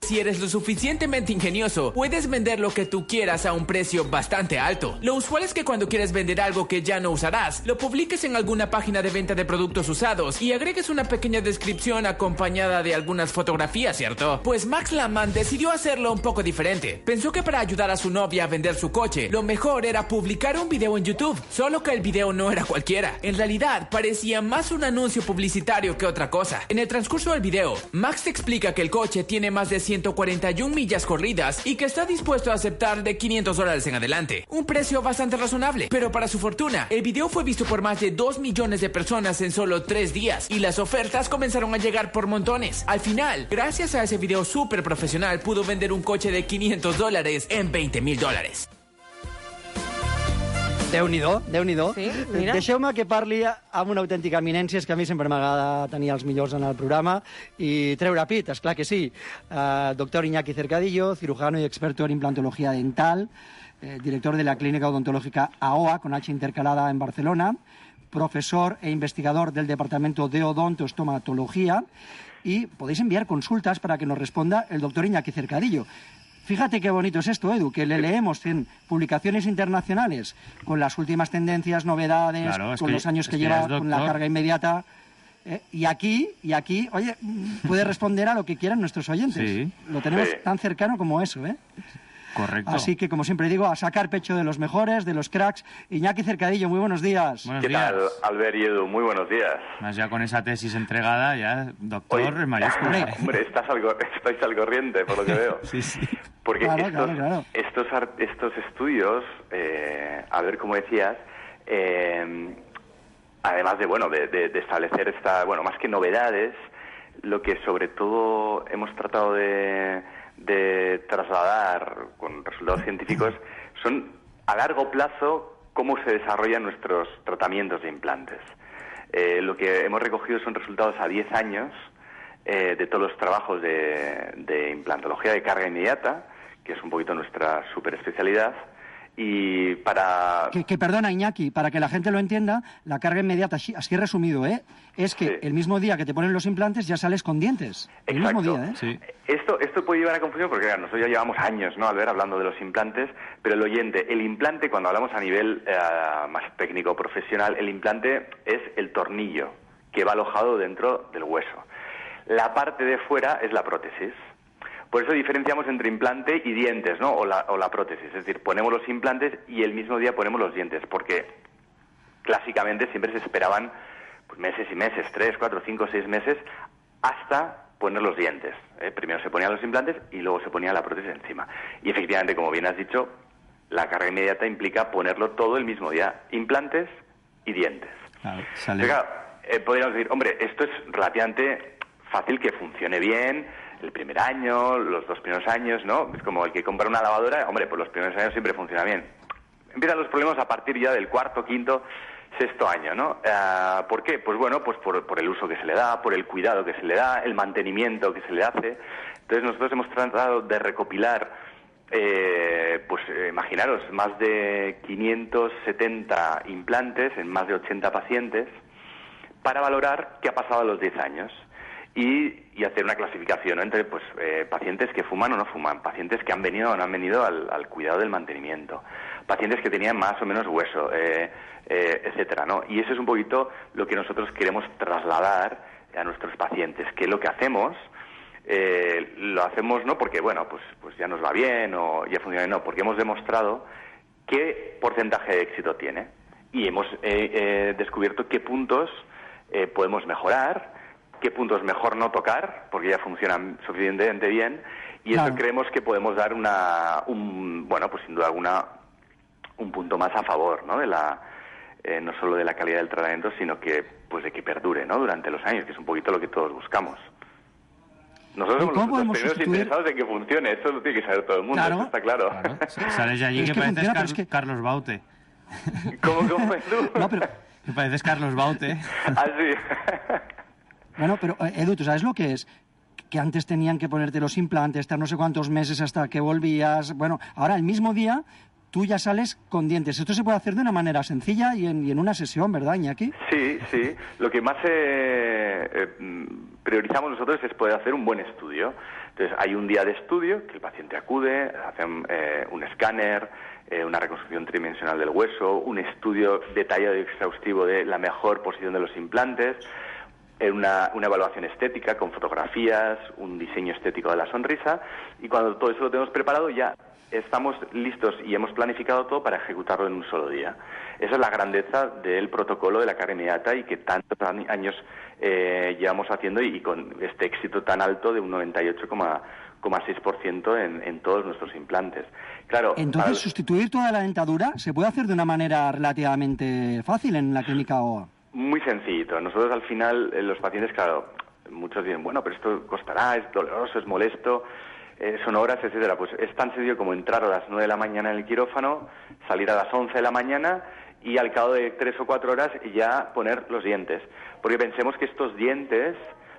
Si eres lo suficientemente ingenioso, puedes vender lo que tú quieras a un precio bastante alto. Lo usual es que cuando quieres vender algo que ya no usarás, lo publiques en alguna página de venta de productos usados y agregues una pequeña descripción acompañada de algunas fotografías, ¿cierto? Pues Max Landman decidió hacerlo un poco diferente. Pensó que para ayudar a su novia a vender su coche, lo mejor era publicar un video en YouTube. Solo que el video no era cualquiera. En realidad, parecía más un anuncio publicitario que otra cosa. En el transcurso del video, Max te explica que el coche tiene más de 141 millas corridas y que está dispuesto a aceptar de $500 en adelante. Un precio bastante razonable. Pero para su fortuna, el video fue visto por más de 2 millones de personas en solo 3 días y las ofertas comenzaron a llegar por montones. Al final, gracias a ese video súper profesional, pudo vender un coche de $500 en $20,000. Déu-n'hi-do, Déu-n'hi-do. Sí, mira. Deixeu-me que parli amb una autèntica eminència, és que a mi sempre m'agrada tenir els millors en el programa i treure pit, esclar que sí. Doctor Iñaki Cercadillo, cirujano y experto en implantología dental, director de la Clínica Odontológica AOA, con H intercalada en Barcelona, profesor e investigador del Departamento de Odontoestomatología, y podéis enviar consultas para que nos responda el doctor Iñaki Cercadillo. Fíjate qué bonito es esto, Edu, que le leemos en publicaciones internacionales con las últimas tendencias, novedades, claro, con los años que lleva, con la carga inmediata. Y aquí, oye, puede responder a lo que quieran nuestros oyentes. Sí. Lo tenemos tan cercano como eso, ¿eh? Correcto. Así que, como siempre digo, a sacar pecho de los mejores, de los cracks. Iñaki Cercadillo, muy buenos días. ¿Qué tal, Albert y Edu? Muy buenos días. Más ya con esa tesis entregada, ya, doctor, en mayúsculas. Hombre, estáis al corriente, por lo que veo. Sí. Porque estos estudios, Albert, como decías, además de establecer más que novedades, lo que sobre todo hemos tratado de trasladar con resultados científicos son a largo plazo cómo se desarrollan nuestros tratamientos de implantes. Lo que hemos recogido son resultados a 10 años de todos los trabajos de implantología de carga inmediata, que es un poquito nuestra superespecialidad. Y para... Que perdona, Iñaki, para que la gente lo entienda, la carga inmediata, así resumido, es que el mismo día que te ponen los implantes ya sales con dientes. El mismo día, ¿eh? Sí. Esto puede llevar a confusión porque claro, nosotros ya llevamos años, ¿no?, Albert, hablando de los implantes, pero el implante, cuando hablamos a nivel más técnico profesional, el implante es el tornillo que va alojado dentro del hueso. La parte de fuera es la prótesis. Por eso diferenciamos entre implante y dientes, ¿no? O la prótesis. Es decir, ponemos los implantes y el mismo día ponemos los dientes, porque clásicamente siempre se esperaban pues, meses y meses, 3, 4, 5, 6 meses, hasta poner los dientes. Primero se ponían los implantes y luego se ponía la prótesis encima. Y efectivamente, como bien has dicho, la carga inmediata implica ponerlo todo el mismo día, implantes y dientes. Claro, podríamos decir, hombre, esto es relativamente fácil que funcione bien el primer año, los 2 primeros años, ¿no? Es como el que compra una lavadora, hombre, pues los primeros años siempre funciona bien. Empiezan los problemas a partir ya del 4º, 5º, 6º año, ¿no? ¿Por qué? Pues bueno, pues por el uso que se le da, por el cuidado que se le da, el mantenimiento que se le hace. Entonces nosotros hemos tratado de recopilar, imaginaros, más de 570 implantes en más de 80 pacientes para valorar qué ha pasado a los 10 años. Y hacer una clasificación, ¿no?, entre pacientes que fuman o no fuman, pacientes que han venido o no han venido al cuidado del mantenimiento, pacientes que tenían más o menos hueso, etcétera, ¿no? Y eso es un poquito lo que nosotros queremos trasladar a nuestros pacientes, que lo que hacemos lo hacemos no porque, bueno, pues ya nos va bien o ya funciona, no, porque hemos demostrado qué porcentaje de éxito tiene y hemos descubierto qué puntos podemos mejorar, qué puntos mejor no tocar, porque ya funcionan suficientemente bien, y eso creemos que podemos dar sin duda alguna, un punto más a favor, ¿no?, de no solo de la calidad del tratamiento, sino que de que perdure, ¿no?, durante los años, que es un poquito lo que todos buscamos. Nosotros somos los primeros interesados en que funcione, eso lo tiene que saber todo el mundo, eso está claro. Sales de allí que pareces Carlos Baute. ¿Cómo es tú? No, pero... Que pareces Carlos Baute. Ah, sí. Bueno, pero Edu, ¿tú sabes lo que es? Que antes tenían que ponerte los implantes, estar no sé cuántos meses hasta que volvías. Bueno, ahora el mismo día tú ya sales con dientes. Esto se puede hacer de una manera sencilla y en una sesión, ¿verdad, Iñaki? Sí. Lo que más priorizamos nosotros es poder hacer un buen estudio. Entonces, hay un día de estudio que el paciente acude, hacen un escáner, una reconstrucción tridimensional del hueso, un estudio detallado y exhaustivo de la mejor posición de los implantes, una evaluación estética con fotografías, un diseño estético de la sonrisa, y cuando todo eso lo tenemos preparado ya estamos listos y hemos planificado todo para ejecutarlo en un solo día. Esa es la grandeza del protocolo de la carga inmediata y que tantos años llevamos haciendo y con este éxito tan alto de un 98,6% en todos nuestros implantes. Claro. Entonces, sustituir toda la dentadura se puede hacer de una manera relativamente fácil en la clínica OA. Muy sencillito. Nosotros al final, los pacientes, claro, muchos dicen, bueno, pero esto costará, es doloroso, es molesto, son horas, etcétera. Pues es tan sencillo como entrar a las 9 de la mañana en el quirófano, salir a las 11 de la mañana y al cabo de 3 o 4 horas ya poner los dientes. Porque pensemos que estos dientes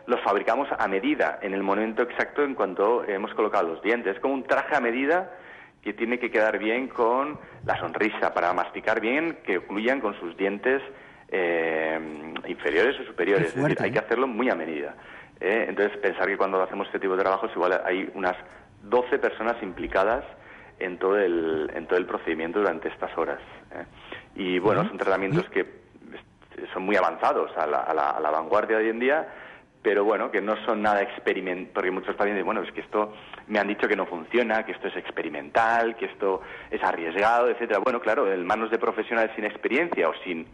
los fabricamos a medida, en el momento exacto en cuanto hemos colocado los dientes. Es como un traje a medida que tiene que quedar bien con la sonrisa, para masticar bien, que ocluyan con sus dientes inferiores o superiores. Es decir, hay que hacerlo muy a medida. Entonces, pensar que cuando hacemos este tipo de trabajos, igual hay unas 12 personas implicadas en todo el procedimiento durante estas horas. Y bueno, son tratamientos que son muy avanzados, a la vanguardia de hoy en día, pero bueno, que no son nada experimental, porque muchos pacientes dicen, bueno, es que esto me han dicho que no funciona, que esto es experimental, que esto es arriesgado, etcétera. Bueno, claro, en manos de profesionales sin experiencia o sin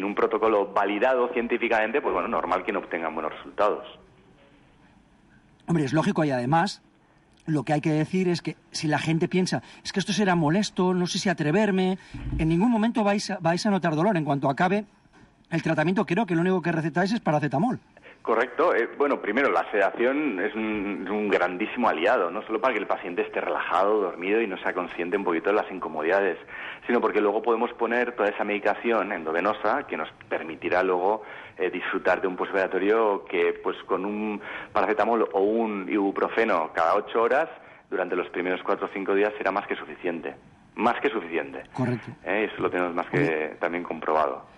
un protocolo validado científicamente, pues bueno, normal que no obtengan buenos resultados. Hombre, es lógico, y además lo que hay que decir es que si la gente piensa, es que esto será molesto, no sé si atreverme, en ningún momento vais a notar dolor. En cuanto acabe el tratamiento, creo que lo único que recetáis es paracetamol. Correcto. Bueno, primero, la sedación es un grandísimo aliado, no solo para que el paciente esté relajado, dormido y no sea consciente un poquito de las incomodidades, sino porque luego podemos poner toda esa medicación endovenosa que nos permitirá luego disfrutar de un postoperatorio que, pues, con un paracetamol o un ibuprofeno cada 8 horas, durante los primeros 4 o 5 días será más que suficiente. Más que suficiente. Correcto. Eso lo tenemos más que también comprobado.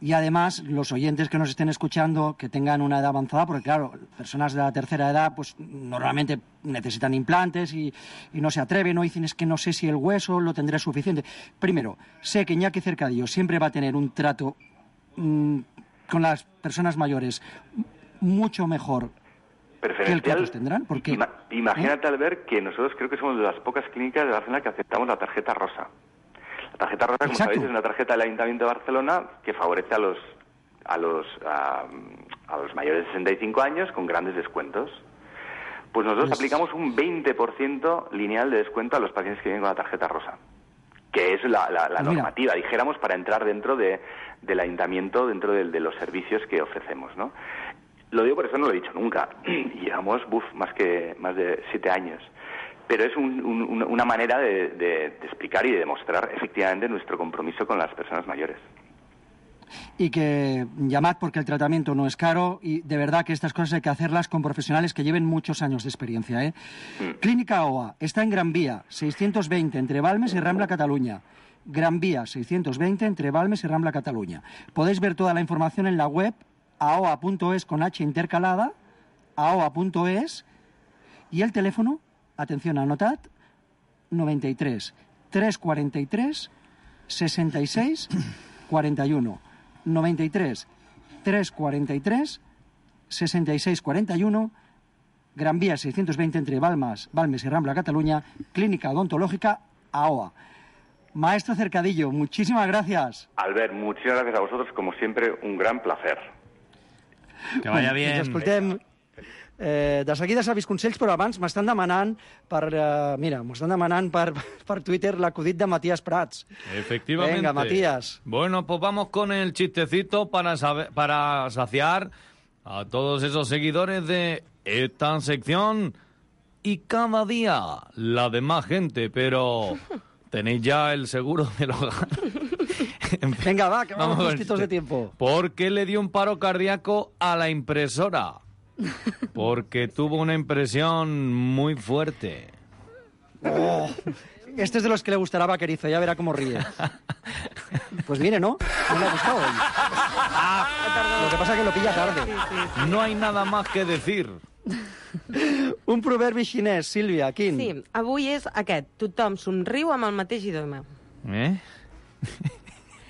Y además, los oyentes que nos estén escuchando, que tengan una edad avanzada, porque claro, personas de la tercera edad, pues normalmente necesitan implantes y no se atreven, o dicen, es que no sé si el hueso lo tendré suficiente. Primero, sé que Iñaki Cercadillo siempre va a tener un trato con las personas mayores mucho mejor que el que otros tendrán. Porque, imagínate, Albert, que nosotros creo que somos de las pocas clínicas de Barcelona que aceptamos la tarjeta rosa. La tarjeta rosa, como sabéis, es una tarjeta del Ayuntamiento de Barcelona que favorece a los mayores de 65 años con grandes descuentos. Pues nosotros aplicamos un 20% lineal de descuento a los pacientes que vienen con la tarjeta rosa, que es la normativa, dijéramos, para entrar dentro del Ayuntamiento, dentro de los servicios que ofrecemos, ¿no? Lo digo por eso, no lo he dicho nunca. Llevamos más de 7 años. Pero es una manera de explicar y de demostrar efectivamente nuestro compromiso con las personas mayores. Y que llamad porque el tratamiento no es caro y de verdad que estas cosas hay que hacerlas con profesionales que lleven muchos años de experiencia. Clínica OA está en Gran Vía, 620, entre Balmes y Rambla, Cataluña. Gran Vía, 620, entre Balmes y Rambla, Cataluña. Podéis ver toda la información en la web aoa.es con H intercalada, aoa.es, y el teléfono, atención, anotad, 93 343 66 41. 93 343 66 41, Gran Vía 620 entre Balmes y Rambla, Cataluña, Clínica Odontológica AOA. Maestro Cercadillo, muchísimas gracias. Albert, muchísimas gracias a vosotros, como siempre, un gran placer. Que vaya bien. Ens escoltem. De seguida sabis consells, però abans m'estan demanant per Twitter l'acudit de Matías Prats. Efectivamente. Venga, Matías. Bueno, pues vamos con el chistecito para saciar a todos esos seguidores de esta sección y cada día la de más gente, pero tenéis ya el seguro del hogar. Venga, va, que vamos justitos de tiempo. ¿Por qué le dio un paro cardíaco a la impresora? Porque tuvo una impresión muy fuerte. Oh, Este es de los que le gustará a Vaquerizo, ya verá cómo ríe. Pues viene, ¿no? No le ha gustado hoy. Lo que pasa es que lo pilla tarde. No hay nada más que decir. Un proverbi xinès, Sílvia, quin? Sí, avui és aquest. Tothom somriu amb el mateix idioma.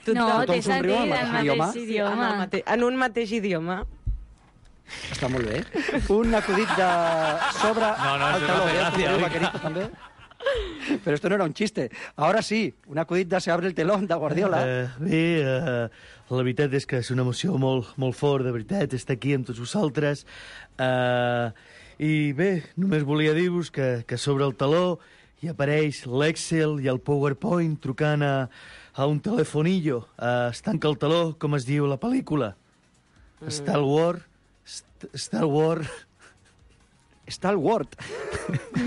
No, té sentit, el mateix idioma. En un mateix idioma. Està molt bé. Un acudit de sobre el taló. Gràcies, Vaquerizo, també. Pero esto no era un chiste. Ahora sí, un acudit de Se abre el telón, de Guardiola. La veritat és que és una emoció molt fort, de veritat, estar aquí amb tots vosaltres. I bé, només volia dir-vos que sobre el taló hi apareix l'Excel i el PowerPoint trucant a un telefonillo. Es tanca el taló, com es diu a la pel·lícula. Star Wars.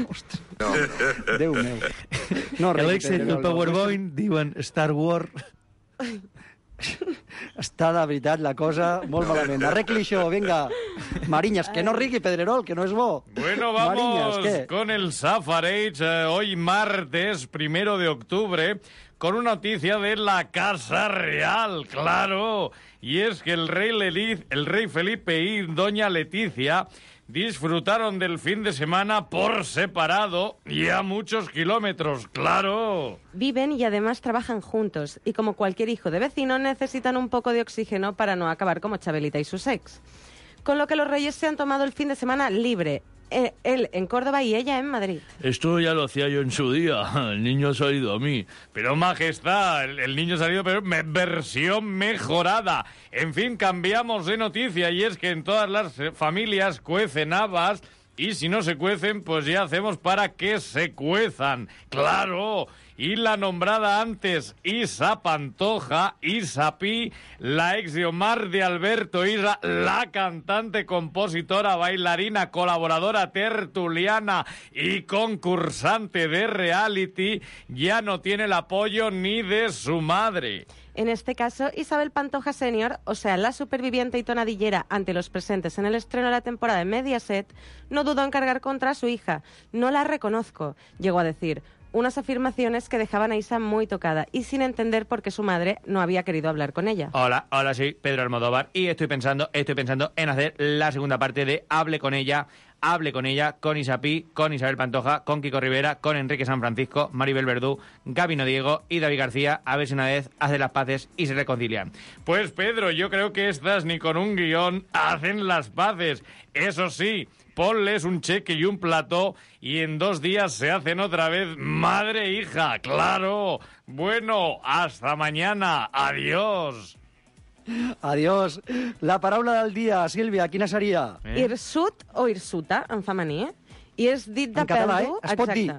Ostres. No. Déu meu. No, L'Excel i el PowerPoint diuen Star Wars. Està, de veritat, la cosa molt malament. Arregli això, venga. Mariñas, que no rigui, Pedrerol, que no és bo. Bueno, vamos Mariñas, con el Safarage, hoy martes 1 de octubre, con una noticia de la Casa Real, claro. Y es que el rey Felipe y doña Leticia disfrutaron del fin de semana por separado y a muchos kilómetros, claro. Viven y además trabajan juntos, y como cualquier hijo de vecino necesitan un poco de oxígeno para no acabar como Chabelita y sus ex. Con lo que los reyes se han tomado el fin de semana libre. Él en Córdoba y ella en Madrid. Esto ya lo hacía yo en su día. El niño ha salido a mí. Pero, majestad, el niño ha salido, pero versión mejorada. En fin, cambiamos de noticia, y es que en todas las familias cuecen habas, y si no se cuecen, pues ya hacemos para que se cuezan. ¡Claro! Y la nombrada antes Isa Pantoja, Isa Pi, la ex de Omar de Alberto Isa, la cantante, compositora, bailarina, colaboradora, tertuliana y concursante de reality, ya no tiene el apoyo ni de su madre. En este caso, Isabel Pantoja Senior, o sea, la superviviente y tonadillera ante los presentes en el estreno de la temporada de Mediaset, no dudó en cargar contra su hija. No la reconozco, llegó a decir. Unas afirmaciones que dejaban a Isa muy tocada y sin entender por qué su madre no había querido hablar con ella. Hola, soy Pedro Almodóvar y estoy pensando en hacer la segunda parte de Hable con ella, con Isa Pi, con Isabel Pantoja, con Kiko Rivera, con Enrique San Francisco, Maribel Verdú, Gabino Diego y David García, a ver si una vez hacen las paces y se reconcilian. Pues Pedro, yo creo que estas ni con un guión hacen las paces. Eso sí, ponles un cheque y un plató y en 2 días se hacen otra vez madre e hija, claro. Bueno, hasta mañana. Adiós. Adiós. La paraula del dia, Sílvia, quina seria? Hirsut o hirsuta, en femení. I és dit de en pèl català, dur... Es pot dir...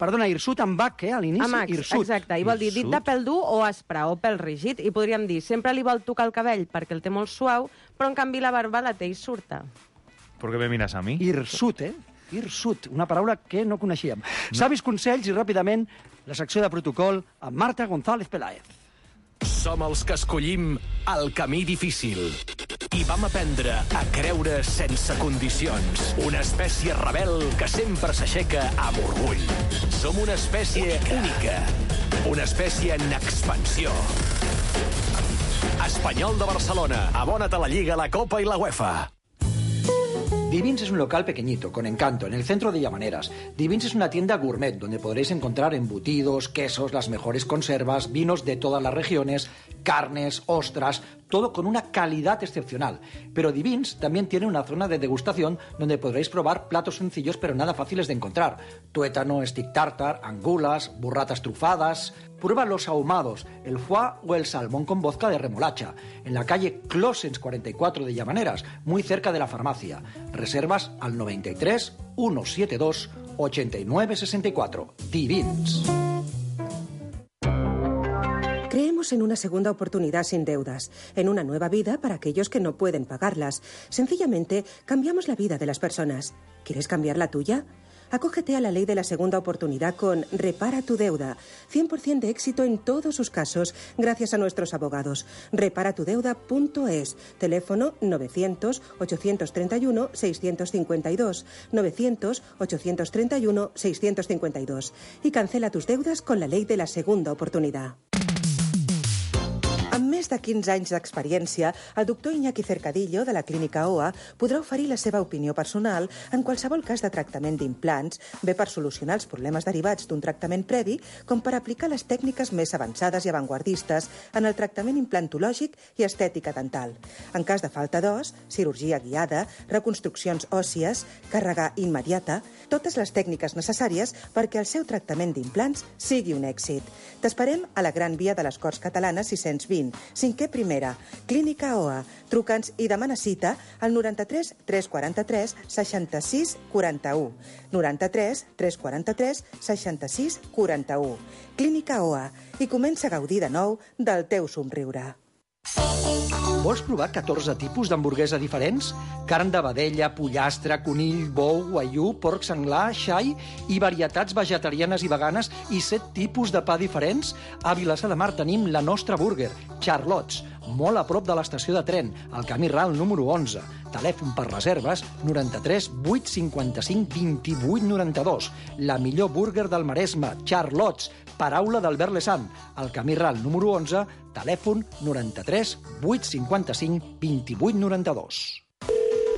Perdona, hirsut amb H, a l'inici? Amb H, hirsut. exacte. I vol dir dit de pèl dur o aspre o pèl rígid. I podríem dir, sempre li vol tocar el cabell perquè el té molt suau, però en canvi la barba la té hirsurta. ¿Por qué me miras a mí? Hirsut, Hirsut, una paraula que no coneixíem. Savis consells i ràpidament la secció de protocol amb Marta González Peláez. Som els que escollim el camí difícil i vam aprendre a creure sense condicions. Una espècie rebel que sempre s'aixeca amb orgull. Som una espècie única. Una espècie en expansió. Espanyol de Barcelona. Abona't a la Lliga, la Copa i la UEFA. Divins es un local pequeñito, con encanto, en el centro de Llamaneras. Divins es una tienda gourmet donde podréis encontrar embutidos, quesos, las mejores conservas, vinos de todas las regiones, carnes, ostras, todo con una calidad excepcional. Pero Divins también tiene una zona de degustación donde podréis probar platos sencillos pero nada fáciles de encontrar. Tuétano, stick tartar, angulas, burratas trufadas... Prueba los ahumados, el foie o el salmón con vodka de remolacha, en la calle Closens 44 de Llamaneras, muy cerca de la farmacia. Reservas al 93 172 89 64. Divins. Creemos en una segunda oportunidad sin deudas, en una nueva vida para aquellos que no pueden pagarlas. Sencillamente, cambiamos la vida de las personas. ¿Quieres cambiar la tuya? Acógete a la ley de la segunda oportunidad con Repara tu deuda. 100% de éxito en todos sus casos, gracias a nuestros abogados. Reparatudeuda.es. Teléfono 900-831-652. 900-831-652. Y cancela tus deudas con la ley de la segunda oportunidad. Amb més de 15 anys d'experiència, el doctor Iñaki Cercadillo, de la Clínica OA, podrà oferir la seva opinió personal en qualsevol cas de tractament d'implants, bé per solucionar els problemes derivats d'un tractament previ, com per aplicar les tècniques més avançades i avantguardistes en el tractament implantològic i estètica dental. En cas de falta d'os, cirurgia guiada, reconstruccions òssies, càrrega immediata, totes les tècniques necessàries perquè el seu tractament d'implants sigui un èxit. T'esperem a la Gran Via de les Corts Catalanes 620, 5è primera, Clínica OA. Truca'ns i demana cita al 93 343 66 41. 93 343 66 41. Clínica OA. I comença a gaudir de nou del teu somriure. Vols provar 14 tipus d'hamburguesa diferents? Carn de vedella, pollastre, conill, bou, guaiú, porc senglar, xai i varietats vegetarianes i veganes i 7 tipus de pa diferents? A Vilassar de Mar tenim la nostra burger, Charlots, molt a prop de l'estació de tren, al camí ral número 11. Telèfon per reserves 93 855 28 92. La millor burger del Maresme, Charlots, paraula d'Albert Lesant. Al camí ral número 11, telèfon 93 855 28 92.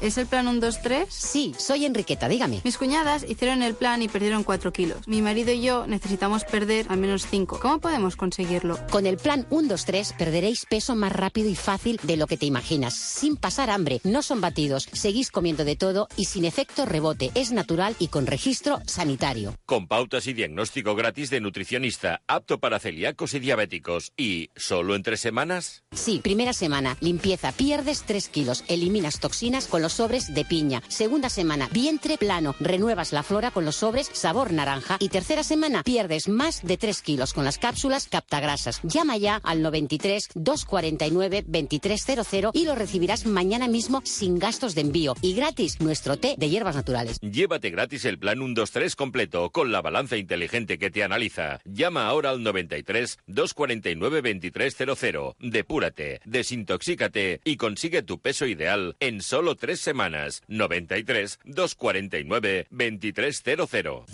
¿Es el plan 1-2-3? Sí, soy Enriqueta, dígame. Mis cuñadas hicieron el plan y perdieron 4 kilos. Mi marido y yo necesitamos perder al menos 5. ¿Cómo podemos conseguirlo? Con el plan 1-2-3 perderéis peso más rápido y fácil de lo que te imaginas, sin pasar hambre. No son batidos, seguís comiendo de todo y sin efecto rebote. Es natural y con registro sanitario. Con pautas y diagnóstico gratis de nutricionista, apto para celíacos y diabéticos. ¿Y solo en 3 semanas? Sí, primera semana, limpieza, pierdes 3 kilos, eliminas toxinas con los sobres de piña. Segunda semana, vientre plano, renuevas la flora con los sobres sabor naranja. Y tercera semana, pierdes más de 3 kilos con las cápsulas captagrasas. Llama ya al 93 249 2300 y lo recibirás mañana mismo sin gastos de envío. Y gratis nuestro té de hierbas naturales. Llévate gratis el plan 1-2-3 completo con la balanza inteligente que te analiza. Llama ahora al 93 249 2300. Depúrate, desintoxícate y consigue tu peso ideal en solo 3 semanas. 93 249 2300.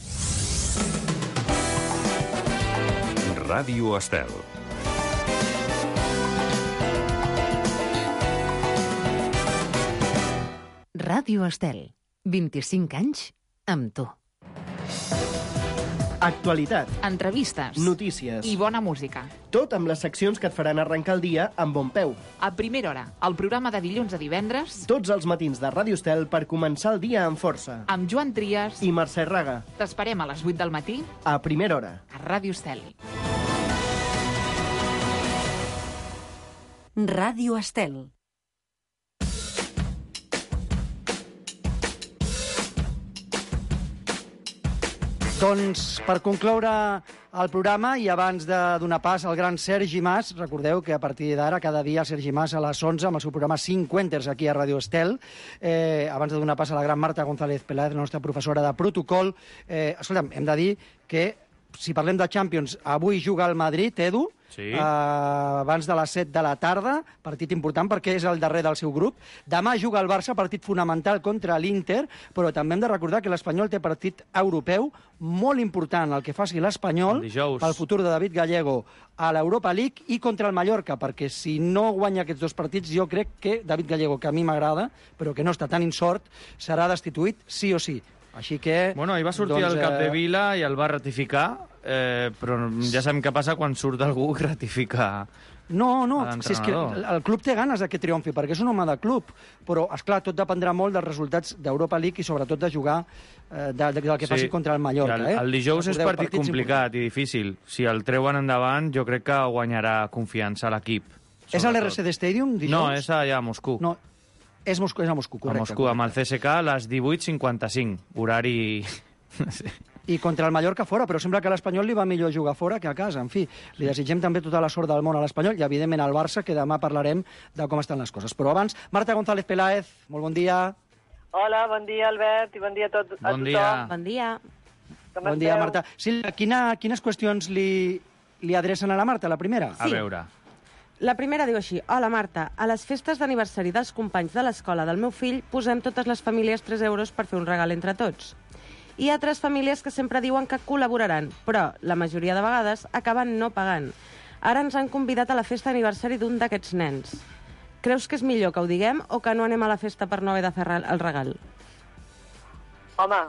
Ràdio Estel. Ràdio Estel. 25 anys amb tu. Actualitat. Entrevistes. Notícies. I bona música. Tot amb les seccions que et faran arrencar el dia amb bon peu. A primera hora, el programa de dilluns a divendres. Tots els matins de Ràdio Estel per començar el dia amb força. Amb Joan Trias i Mercè Raga. T'esperem a les 8 del matí. A primera hora. A Ràdio Estel. Ràdio Estel. Doncs, per concloure el programa i abans de donar pas al gran Sergi Mas, recordeu que a partir d'ara, cada dia, Sergi Mas a les 11, amb el seu programa 5 Quenters aquí a Ràdio Estel, abans de donar pas a la gran Marta González Peláez, la nostra professora de protocol, escolta'm, hem de dir que, si parlem de Champions, avui juga el Madrid, Edu, sí. Abans de les 7 de la tarda, partit important perquè és el darrer del seu grup. Demà juga el Barça, partit fonamental contra l'Inter, però també hem de recordar que l'Espanyol té partit europeu molt important, el que faci l'Espanyol pel futur de David Gallego a l'Europa League i contra el Mallorca, perquè si no guanya aquests 2 partits, jo crec que David Gallego, que a mi m'agrada, però que no està tan insort, serà destituït sí o sí. Així que... Bueno, ahir va sortir el cap de Vila i el va ratificar, però ja sabem què passa quan surt algú i ratifica No, si és que el club té ganes que triomfi, perquè és un home de club, però, esclar, tot dependrà molt dels resultats d'Europa League i sobretot de jugar del que faci contra el Mallorca. El dijous és partit complicat i difícil. Si el treuen endavant, jo crec que guanyarà confiança a l'equip. És a l'RCD Stadium, dijous? No, és allà a Moscou. No, és a Moscou, correcte. A Moscou, amb el CSK a les 18:55, horari... I contra el Mallorca fora, però sembla que a l'Espanyol li va millor jugar fora que a casa. En fi, li desitgem també tota la sort del món a l'Espanyol i, evidentment, al Barça, que demà parlarem de com estan les coses. Però abans, Marta González Peláez, molt bon dia. Hola, bon dia, Albert, i bon dia a tothom. Bon dia. Bon dia. Com Bon dia, esteu? Marta. Sílvia, quines qüestions li adrecen a la Marta, la primera? A veure. La primera diu així: Hola, Marta. A les festes d'aniversari dels companys de l'escola del meu fill posem totes les famílies 3 euros per fer un regal entre tots. Hi ha 3 famílies que sempre diuen que col·laboraran, però la majoria de vegades acaben no pagant. Ara ens han convidat a la festa d'aniversari d'un d'aquests nens. Creus que és millor que ho diguem o que no anem a la festa per no haver de fer el regal? Home,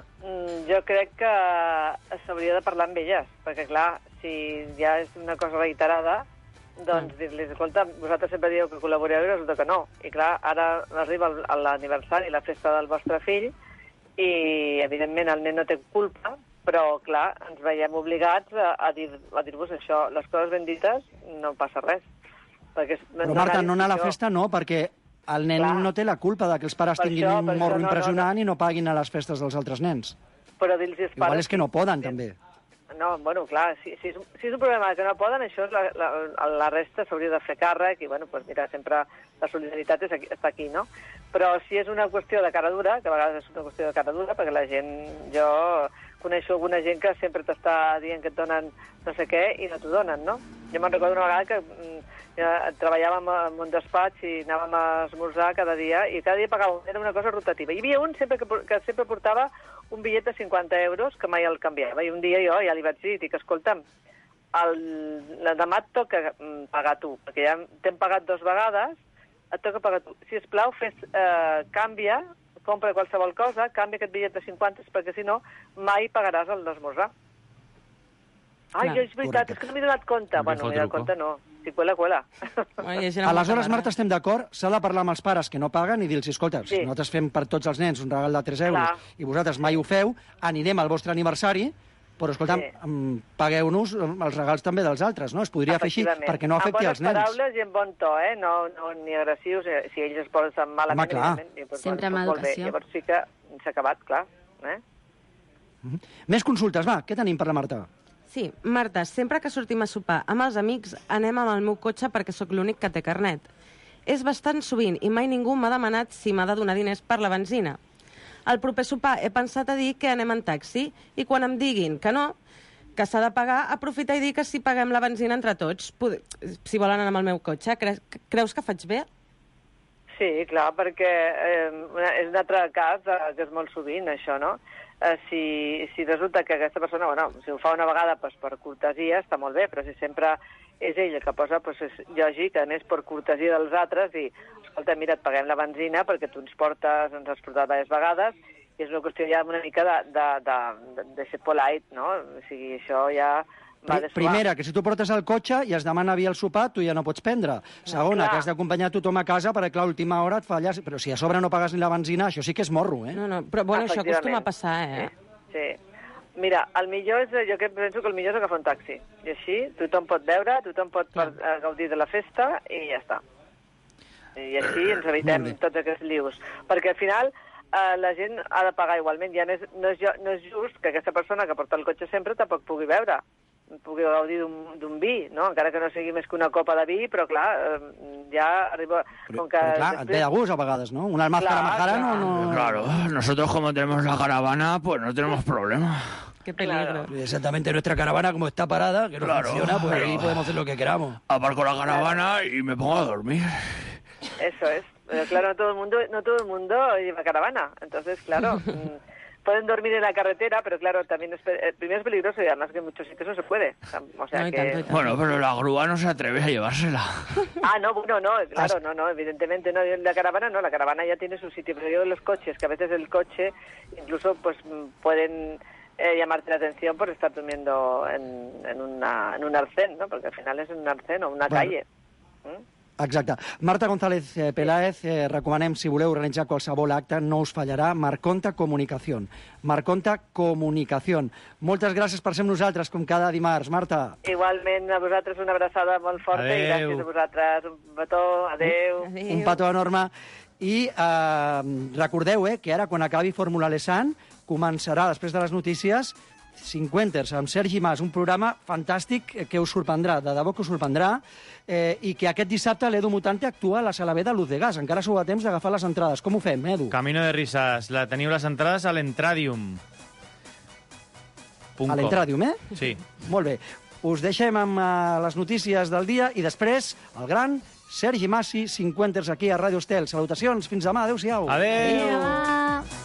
jo crec que s'hauria de parlar amb elles, perquè, clar, si ja és una cosa reiterada, doncs dir-los, escolta, vosaltres sempre dieu que col·laboreu i resulta que no. I, clar, ara arriba l'aniversari, la festa del vostre fill, i, evidentment, el nen no té culpa, però, clar, ens veiem obligats a dir-vos això. Les coses ben dites no passa res. Però, Marta, no anar a la festa no, perquè el nen no té la culpa de que els pares tinguin un morro impressionant i no paguin a les festes dels altres nens. Però dir-los als pares... Igual és que no poden, també. No, bueno, clar, si és un problema que no poden, això la resta s'hauria de fer càrrec i, bueno, doncs mira, sempre la solidaritat està aquí, no? Però si és una qüestió de cara dura, que a vegades és una qüestió de cara dura, perquè la gent, jo coneixo alguna gent que sempre t'està dient que et donen no sé què i no t'ho donen, no? Jo me'n recordo una vegada que treballàvem en un despatx i anàvem a esmorzar cada dia i cada dia pagàvem, era una cosa rotativa. Hi havia un que sempre portava un bitllet de 50 euros que mai el canviava. I un dia jo ja li vaig dir, escolta'm, demà et toca pagar tu, perquè ja t'hem pagat 2 vegades, et toca pagar tu. Si plau, canvia, compra qualsevol cosa, canvia aquest bitllet de 50, perquè si no, mai pagaràs el d'esmorzar. Ai, és veritat, és que no m'he donat compte. Bueno, m'he donat compte, no. Si cuela. Aleshores, Marta, estem d'acord, s'ha de parlar amb els pares que no paguen i dir-los, escolta, si nosaltres fem per tots els nens un regal de 3 euros i vosaltres mai ho feu, anirem al vostre aniversari, però, escolta, pagueu-nos els regals també dels altres, no? Es podria fer així perquè no afecti els nens. Amb bones paraules i amb bon to, no ni agressius, si ells es posen malament. Home, clar. Sempre amb educació. Llavors sí que s'ha acabat, clar. Més consultes, va, què tenim per la Marta? Sí, Marta, sempre que sortim a sopar amb els amics anem amb el meu cotxe perquè sóc l'únic que té carnet. És bastant sovint i mai ningú m'ha demanat si m'ha de donar diners per la benzina. Al proper sopar he pensat a dir que anem en taxi i quan em diguin que no, que s'ha de pagar, aprofitar i dir que si paguem la benzina entre tots, si volen anar amb el meu cotxe. Creus que faig bé? Sí, clar, perquè és un altre cas que és molt sovint, això, no? Si resulta que aquesta persona, bueno, si ho fa una vegada per cortesia, està molt bé, però si sempre és ell el que posa, és lògic, a més, per cortesia dels altres, i, escolta, mira, et paguem la benzina perquè tu ens has portat diverses vegades, i és una qüestió ja una mica de ser polite, no? O sigui, això ja... Primera, que si tu portes el cotxe i es demana via el sopar, tu ja no pots prendre. Segona, que has d'acompanyar tothom a casa perquè, clar, a última hora et falles. Però si a sobre no pagues ni la benzina, això sí que és morro, eh? No, però bueno, això acostuma a passar, eh? Sí. Mira, el millor és, jo penso que el millor és agafar un taxi. I així tothom pot veure, tothom pot gaudir de la festa i ja està. I així ens evitem tots aquests lius. Perquè al final la gent ha de pagar igualment. Ja no és just que aquesta persona que porta el cotxe sempre tampoc pugui veure, pugui gaudir d'un vi, no? Encara que no sigui més que una copa de vi, però clar, ja arriba... Però clar, et ve de gust a vegades, ¿no? Una máscara majara no... Claro, nosotros como tenemos la caravana, pues no tenemos problema. Qué peligro. Exactamente, nuestra caravana como está parada, que no funciona, pues ahí podemos hacer lo que queramos. Aparco la caravana y me pongo a dormir. Eso es. Pero claro, no todo el mundo lleva caravana. Entonces, claro... Pueden dormir en la carretera, pero claro, también primero es peligroso y además que en muchos sitios no se puede. O sea que... Bueno, pero la grúa no se atreve a llevársela. No, evidentemente no. La caravana ya tiene su sitio, pero yo los coches, que a veces el coche incluso pues pueden llamarte la atención por estar durmiendo en un arcén, ¿no? Porque al final es un arcén o una calle. Exacte. Marta González Peláez, recomanem, si voleu organitzar qualsevol acte, no us fallarà, Marconta Comunicación. Marconta Comunicación. Moltes gràcies per ser amb nosaltres, com cada dimarts, Marta. Igualment, a vosaltres una abraçada molt forta i gràcies a vosaltres. Un petó, adeu. Un petó enorme. I recordeu que ara, quan acabi Fórmula Lesan, començarà, després de les notícies, Cinquenters, amb Sergi Mas, un programa fantàstic que us sorprendrà, de debò que us sorprendrà, i que aquest dissabte l'Edu Mutante actua a la sala B de Luz de Gas. Encara sou a temps d'agafar les entrades. Com ho fem, Edu? Camino de Risas. Teniu les entrades a l'Entradium. A l'Entradium, Sí. Molt bé. Us deixem amb les notícies del dia i després el gran Sergi Massi, Cinquenters aquí a Ràdio Estel. Salutacions, fins demà, adéu-siau. Adéu. Adéu.